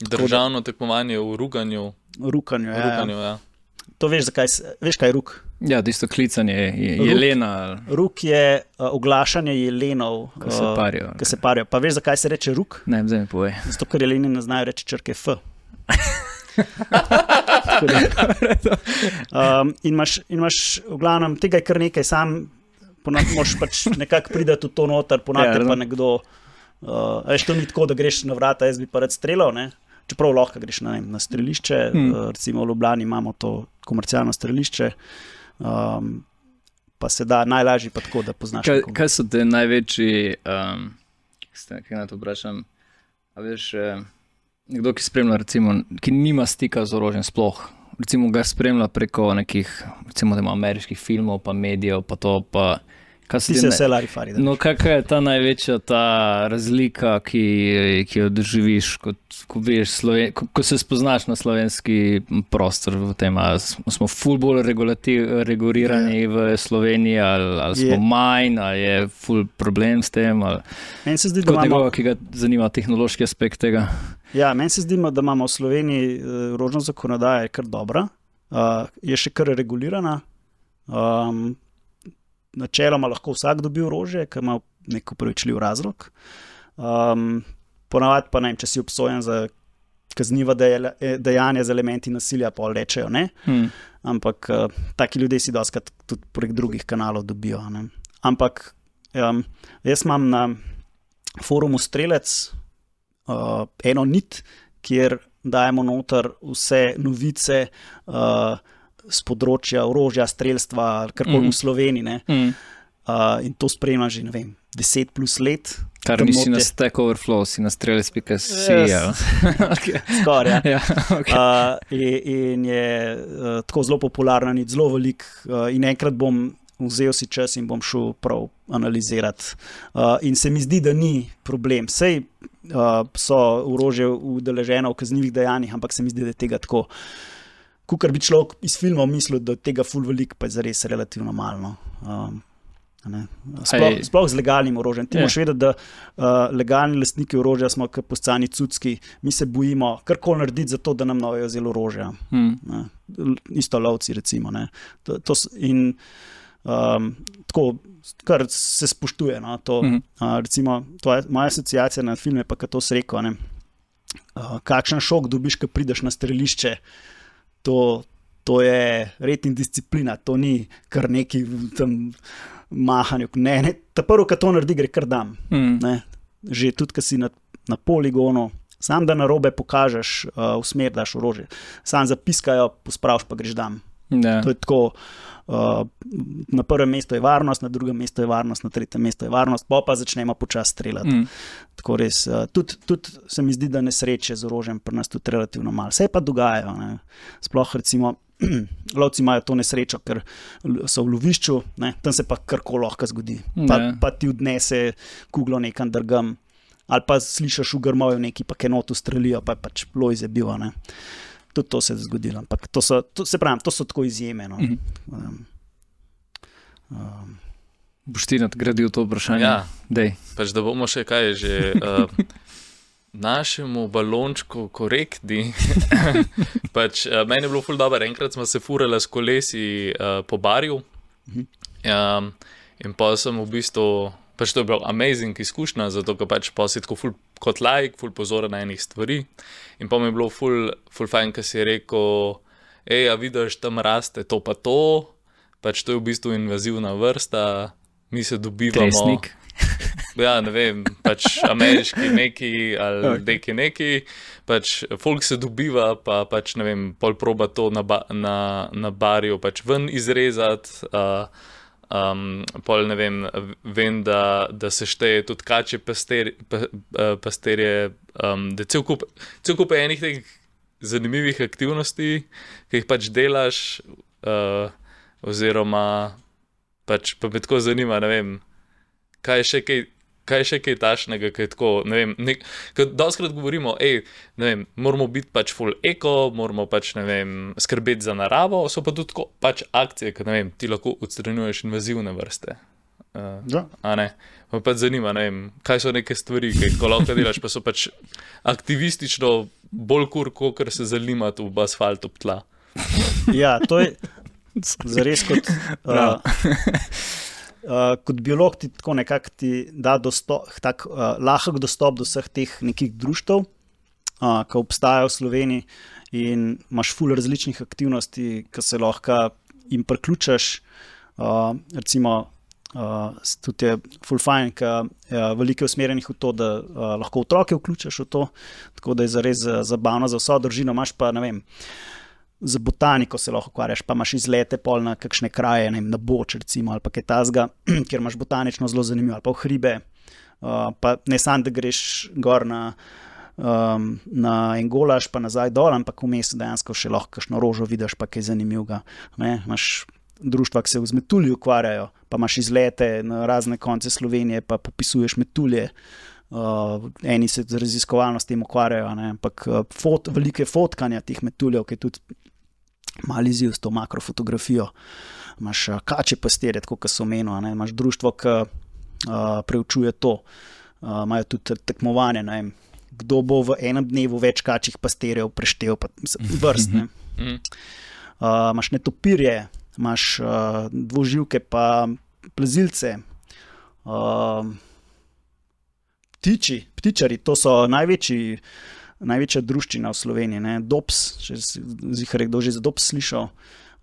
Državno tekmovanje v rukanju. Ja. To veš, kaj je ruk? Ja, tisto klicanje jelena. Ruk je oglašanje jelenov, ki se parijo. Pa veš, zakaj se reče ruk? Ne, zdaj mi povej. Zato, ker jeleni ne znajo reči črke F. In imaš v glavnem tega je kar nekaj, sam moraš pač nekako prideti v to noter, ponavljati pa nekdo, veš, to ni tako, da greš na vrata, jaz bi pa rad streljal, ne, čeprav lahko greš na strelišče, recimo v Ljubljani imamo to komercialno strelišče, pa se da najlažje pa tako, da poznaš nekoga. Kaj so te največji, kaj na to vprašam, a veš, nekdo, ki spremlja, recimo, ki nima stika z orožjem sploh, recimo ga spremlja preko nekih, recimo, ameriških filmov, pa medijev, pa to, pa Ti se vse larifari. No, kakšna je ta največja razlika, ki jo doživiš, ko se spoznaš na slovenski prostor v tem, ali smo ful bolj regulirani v Sloveniji, ali smo manj, ali je ful problem s tem, ali meni se zdi, da kot nekoga, ki ga zanima tehnološki aspekt tega. Ja, meni se zdi, da imamo v Sloveniji orožna zakonodaja kar dobra, je še kar regulirana. Načeloma lahko vsak dobi orožje, ki ima nek upravičljiv razlog. Ponavadi pa ne vem, če si obsojen za kazniva dejanja z elementi nasilja, pa rečejo ne. Ampak taki ljudje si dostakrat tudi prek drugih kanalov dobijo. Ne. Ampak jaz imam na forumu Strelec eno nit, kjer dajemo noter vse novice z področja orožja, strelstva, karkoli v Sloveniji. In to spremljam že, 10 plus let. Kar nisi na Stack Overflow, si na strelec.si. Skoraj, ja. Ja, okay. In je tako zelo popularna, ni zelo velik. In enkrat bom vzel si čas in bom šel prav analizirati. In se mi zdi, da ni problem. Sej so orožje udeleženo v kaznivih dejanjih, ampak se mi zdi, da je tega tako. Kukor bi človek iz filmov mislil, da tega ful veliko, pa je zares relativno malo. Sploh z legalnim orožjem. Ti moraš vedeti, da legalni lastniki orožja smo kot poscani cucki. Mi se bojimo karkoli narediti za to, da nam novejo vzeli orožja. Isto lovci, recimo. Tako, kar se spoštuje. No, to, recimo, moja asociacija na filme, pa kad to se rekel, kakšen šok dobiš, ko prideš na strelišče. To je red in disciplina, to ni kar neki tam mahanju. Ne, ta prvo, kad to naredi, gre kar dam. Že tudi, kad si na poligonu, sam da narobe pokažeš, v smer daš orožje. Sam zapiskajo, pospraviš, pa greš dam. To je tako, na prvem mestu je varnost, na drugem mestu je varnost, na tretjem mestu je varnost, pa začnemo počasi streljati. Tako res, tudi se mi zdi, da nesreče z orožjem pri nas tudi relativno malo. Vse pa dogajajo. Ne. Sploh recimo, lovci imajo to nesrečo, ker so v lovišču, ne, tam se pa karkoli lahko zgodi. Pa ti odnese kuglo nekam drgam, ali pa slišiš v grmovju neki, pa kenot ustrelijo, pa je pač lojze bil. Ne. Tudi to se je zgodilo, ampak to so tako izjeme. No. Boš ti nadgradil to vprašanje? Ja, pač da bomo še kaj že našemu balončku korektni. Pač, meni je bilo ful dobro, enkrat smo se furali s kolesi po barju in pa sem v bistvu, pač to je bil amazing izkušnja, zato ker pač pa si tako ful kot laik, ful pozoren na enih stvari. In pa mi je bilo ful fajn, ko si je rekel, a vidiš, tam raste to pa to, pač to je v bistvu invazivna vrsta, mi se dobivamo. Tresnik. Ja, ne vem, pač ameriški neki ali neki, pač folk se dobiva, pa pač ne vem, pol proba to na barju pač ven izrezati, pol ne vem, da se šteje tudi kače pasterje, da cel kup enih teh zanimivih aktivnosti, ki jih pač delaš, oziroma pač pa me tako zanima, ne vem, kaj je še kaj tašnega, kaj je tako, ne vem, ker dostkrat govorimo, ne vem, moramo biti pač full eko, moramo pač, ne vem, skrbeti za naravo, so pa tudi tako pač akcije, ker, ne vem, ti lahko odstranjuješ invazivne vrste. A ne? Pa pač zanima, ne vem, kaj so neke stvari, ki jih lahko delaš, pa so pač aktivistično bolj kot se zalimati v asfalt ob tla. Ja, to je zares kot... kot biolog ti tako nekako ti da lahek dostop do vseh teh nekih društev, ki obstajajo v Sloveniji in imaš ful različnih aktivnosti, ki se lahko jim priključaš. Recimo, tudi je ful fajn, ki veliko je usmerjenih v to, da lahko otroke vključaš v to, tako da je zares zabavno za vso družino. Imaš pa, ne vem, za botaniko se lahko ukvarjaš, pa imaš izlete pol na kakšne kraje, ne vem, na Boč recimo, ali pa kaj tazga, kjer imaš botanično zelo zanimivo, ali pa v hribe, pa ne samo, da greš gor na Engolaš, pa nazaj dol, ampak vmes dejansko še lahko kakšno rožo vidiš, pa kaj zanimivega. Ne? Imaš društva, ki se v Zmetulji ukvarjajo, pa imaš izlete na razne konce Slovenije, pa popisuješ metulje. Eni se raziskovalno s tem ukvarjajo, ampak velike fotkanja teh metuljev, ki je tudi mali izziv s to makrofotografijo. Imaš kače pastirje, kot so omenili, imaš društvo, ki preučuje to. Imajo tudi tekmovanje, kdo bo v enem dnevu več kačjih pastirjev preštel, vrst. Imaš netopirje, imaš dvoživke, pa plazilce, ptičari, to so največja druščina v Sloveniji. Dops, če si kdo že za Dops slišal,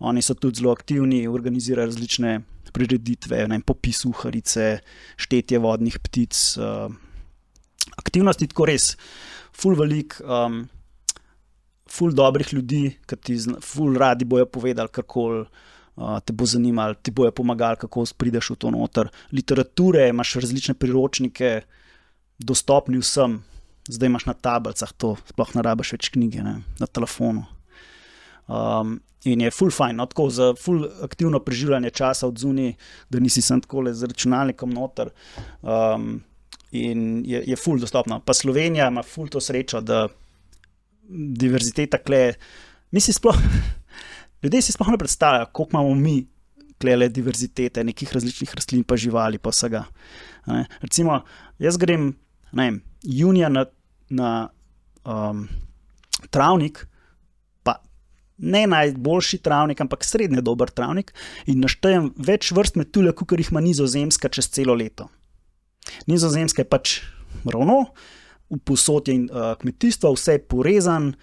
oni so tudi zelo aktivni, organizirajo različne prireditve, popis uharice, štetje vodnih ptic, aktivnosti, tako res, ful velik, ful dobrih ljudi, ki ti ful radi bojo povedali, kako te bo zanimalo, ti bojo pomagali, kako prideš v to noter. Literature, imaš različne priročnike, dostopni vsem, zdaj imaš na tablicah to, sploh ne rabiš več knjige, na telefonu. In je ful fajn, tako za ful aktivno preživljanje časa od zunaj, da nisi sem takole z računalnikom noter, in je ful dostopno. Pa Slovenija ima ful to srečo, da diverziteta kle, ljudje si sploh ne predstavljajo, koliko imamo mi klele diverzitete, nekih različnih rastlin pa živali pa vsega. Recimo, jaz grem junija na travnik, pa ne najboljši travnik, ampak srednje dober travnik in naštejem več vrst metuljev, kakor jih ima Nizozemska čez celo leto. Nizozemska je pač ravno, povsod je kmetijstvo, vse je porezan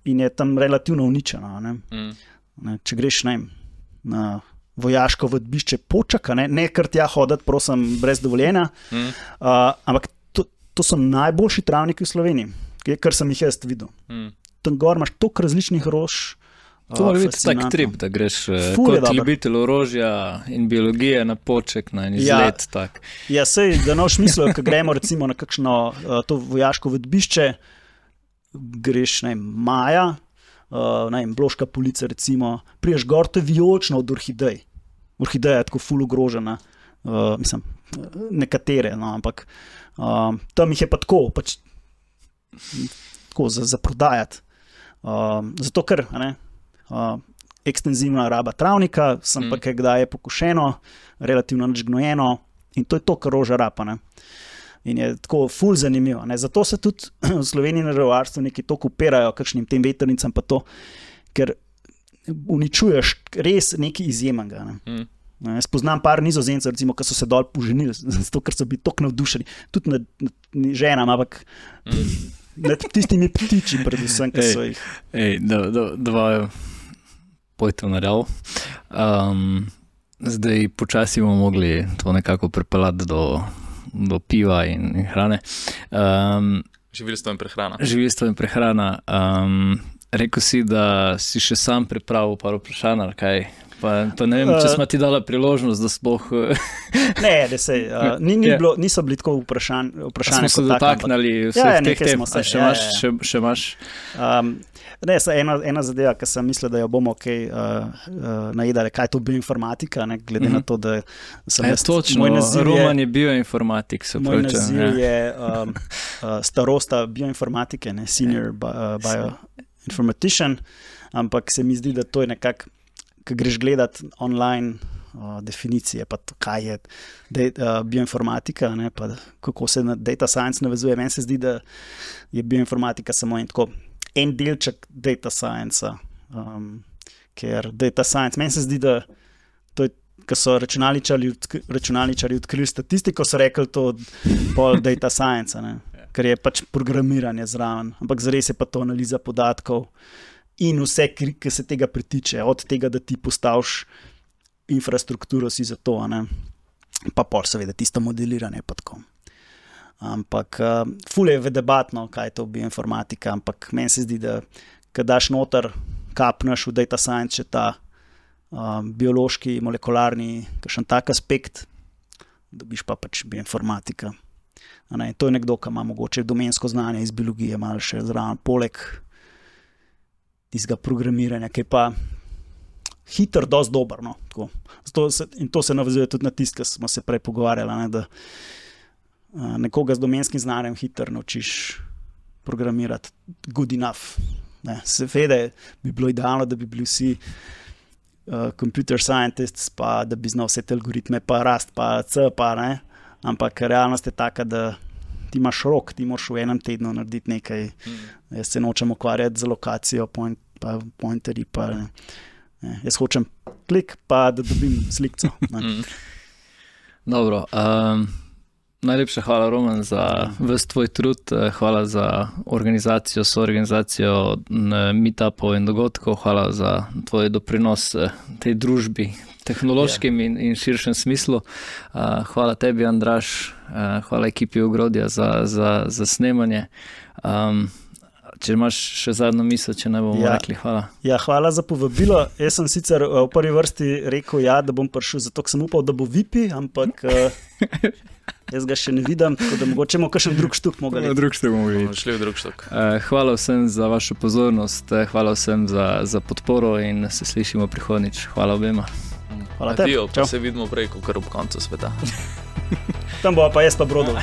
in je tam relativno uničeno. Če greš na vojaško vadbišče Počaka, ne kar tja hoditi, prosim, brez dovoljenja, ampak to so najboljši travniki v Sloveniji, kar sem jih jaz videl. Tam gor imaš toliko različnih rož. To mora biti tak trip, da greš kot ljubitelj orožja in biologije na Poček, na en izlet. Ja, sej, da ne boš mislil, ko gremo recimo na kakšno to vojaško vadbišče, greš maja, Bloška Polica recimo, priješ gor, to je vijolično od orhidej. Orhideja je tako ful ogrožena, mislim, nekatere, ampak tam jih je pa tako, tako za prodajati. Zato ker ekstenzivna raba travnika, sem pa kdaj je pokošeno, relativno nič gnojeno in to je to, kar roža rapa. In je tako ful zanimivo. Zato se tudi v Sloveniji na revarstvu neki toliko upirajo kakšnim tem vetrnicam pa to, ker uničuješ res nekaj izjemnega. Jaz poznam par Nizozemcev, recimo, ki so se dol poženili, zato ker so bili toliko navdušeni, tudi nad ženam, ampak nad tistimi ptiči predvsem, ki so jih. Dva pojte v narav. Zdaj počasi bomo mogli to nekako pripeljati do piva in hrane. Živilstvo in prehrana. Rekel si, da si še sam pripravil par vprašanj, ali kaj? Pa ne vem, če smo ti dala priložnost, da sploh... Ne, da se, niso bili tako vprašanje. Smo se dotaknili vseh teh tem, še imaš? Ne, ena zadeva, ki sem mislil, da jo bomo najedali, kaj je to bioinformatika, glede na to, da sem jaz... Točno, Roman je bioinformatik, se moj naziv je starosta bioinformatike, senior bioinformatician, ampak se mi zdi, da to je nekako, ko greš gledati online definicije, pa to, kaj je bioinformatika, pa kako se na data science navezuje. Meni se zdi, da je bioinformatika samo en delček data science, ker data science, meni se zdi, da to je, ko so računalničarji odkrili statistiko, so rekli to pol data science, ker je pač programiranje zraven, ampak zares je pa to analiza podatkov in vse, ki se tega pritiče, od tega, da ti postaviš infrastrukturo si za to, pa pol seveda tisto modeliranje pa tako. Ampak ful je debatno, kaj je to bioinformatika, ampak meni se zdi, da ko daš noter, kapneš v data science še ta biološki, molekularni, kakšen tak aspekt, dobiš pa pač bioinformatika. To je nekdo, ki ima mogoče domensko znanje iz biologije, malo še zraven, poleg tistega programiranja, ki je pa hiter, dosti dober. No, in to se navezuje tudi na tisto, kar smo se prej pogovarjali, ne, da nekoga z domenskim znanjem hiter naučiš programirati good enough. Seveda bi bilo idealno, da bi bili vsi computer scientists, pa da bi znal vse te algoritme, pa rast, pa C, pa ne. Ampak realnost je taka, da ti imaš rok, ti moraš v enem tednu narediti nekaj. Jaz se nočem ukvarjati z lokacijo, pa pointerji, pa ne. Jaz hočem klik, pa da dobim slikco. Dobro, najlepša hvala, Roman, za ves tvoj trud, hvala za organizacijo, soorganizacijo meetupov in dogodkov, hvala za tvoj doprinos tej družbi, tehnološkem in širšem smislu. Hvala tebi, Andraž, hvala ekipi Ogrodja za snemanje. Če imaš še zadnjo misel, če ne bomo rekli hvala. Ja, hvala za povabilo. Jaz sem sicer v prvi vrsti rekel, da bom prišel, zato sem upal, da bo VIP, ampak jaz ga še ne vidim, tako da mogoče bomo kakšen drug štuk mogli. Šli v drug štuk. Hvala vsem za vašo pozornost, hvala vsem za podporo in se slišimo prihodnjič. Hvala obema. Hvala tebi. Pa se vidimo prej, kot ob koncu sveta. Tam bo pa jaz pa Brodov.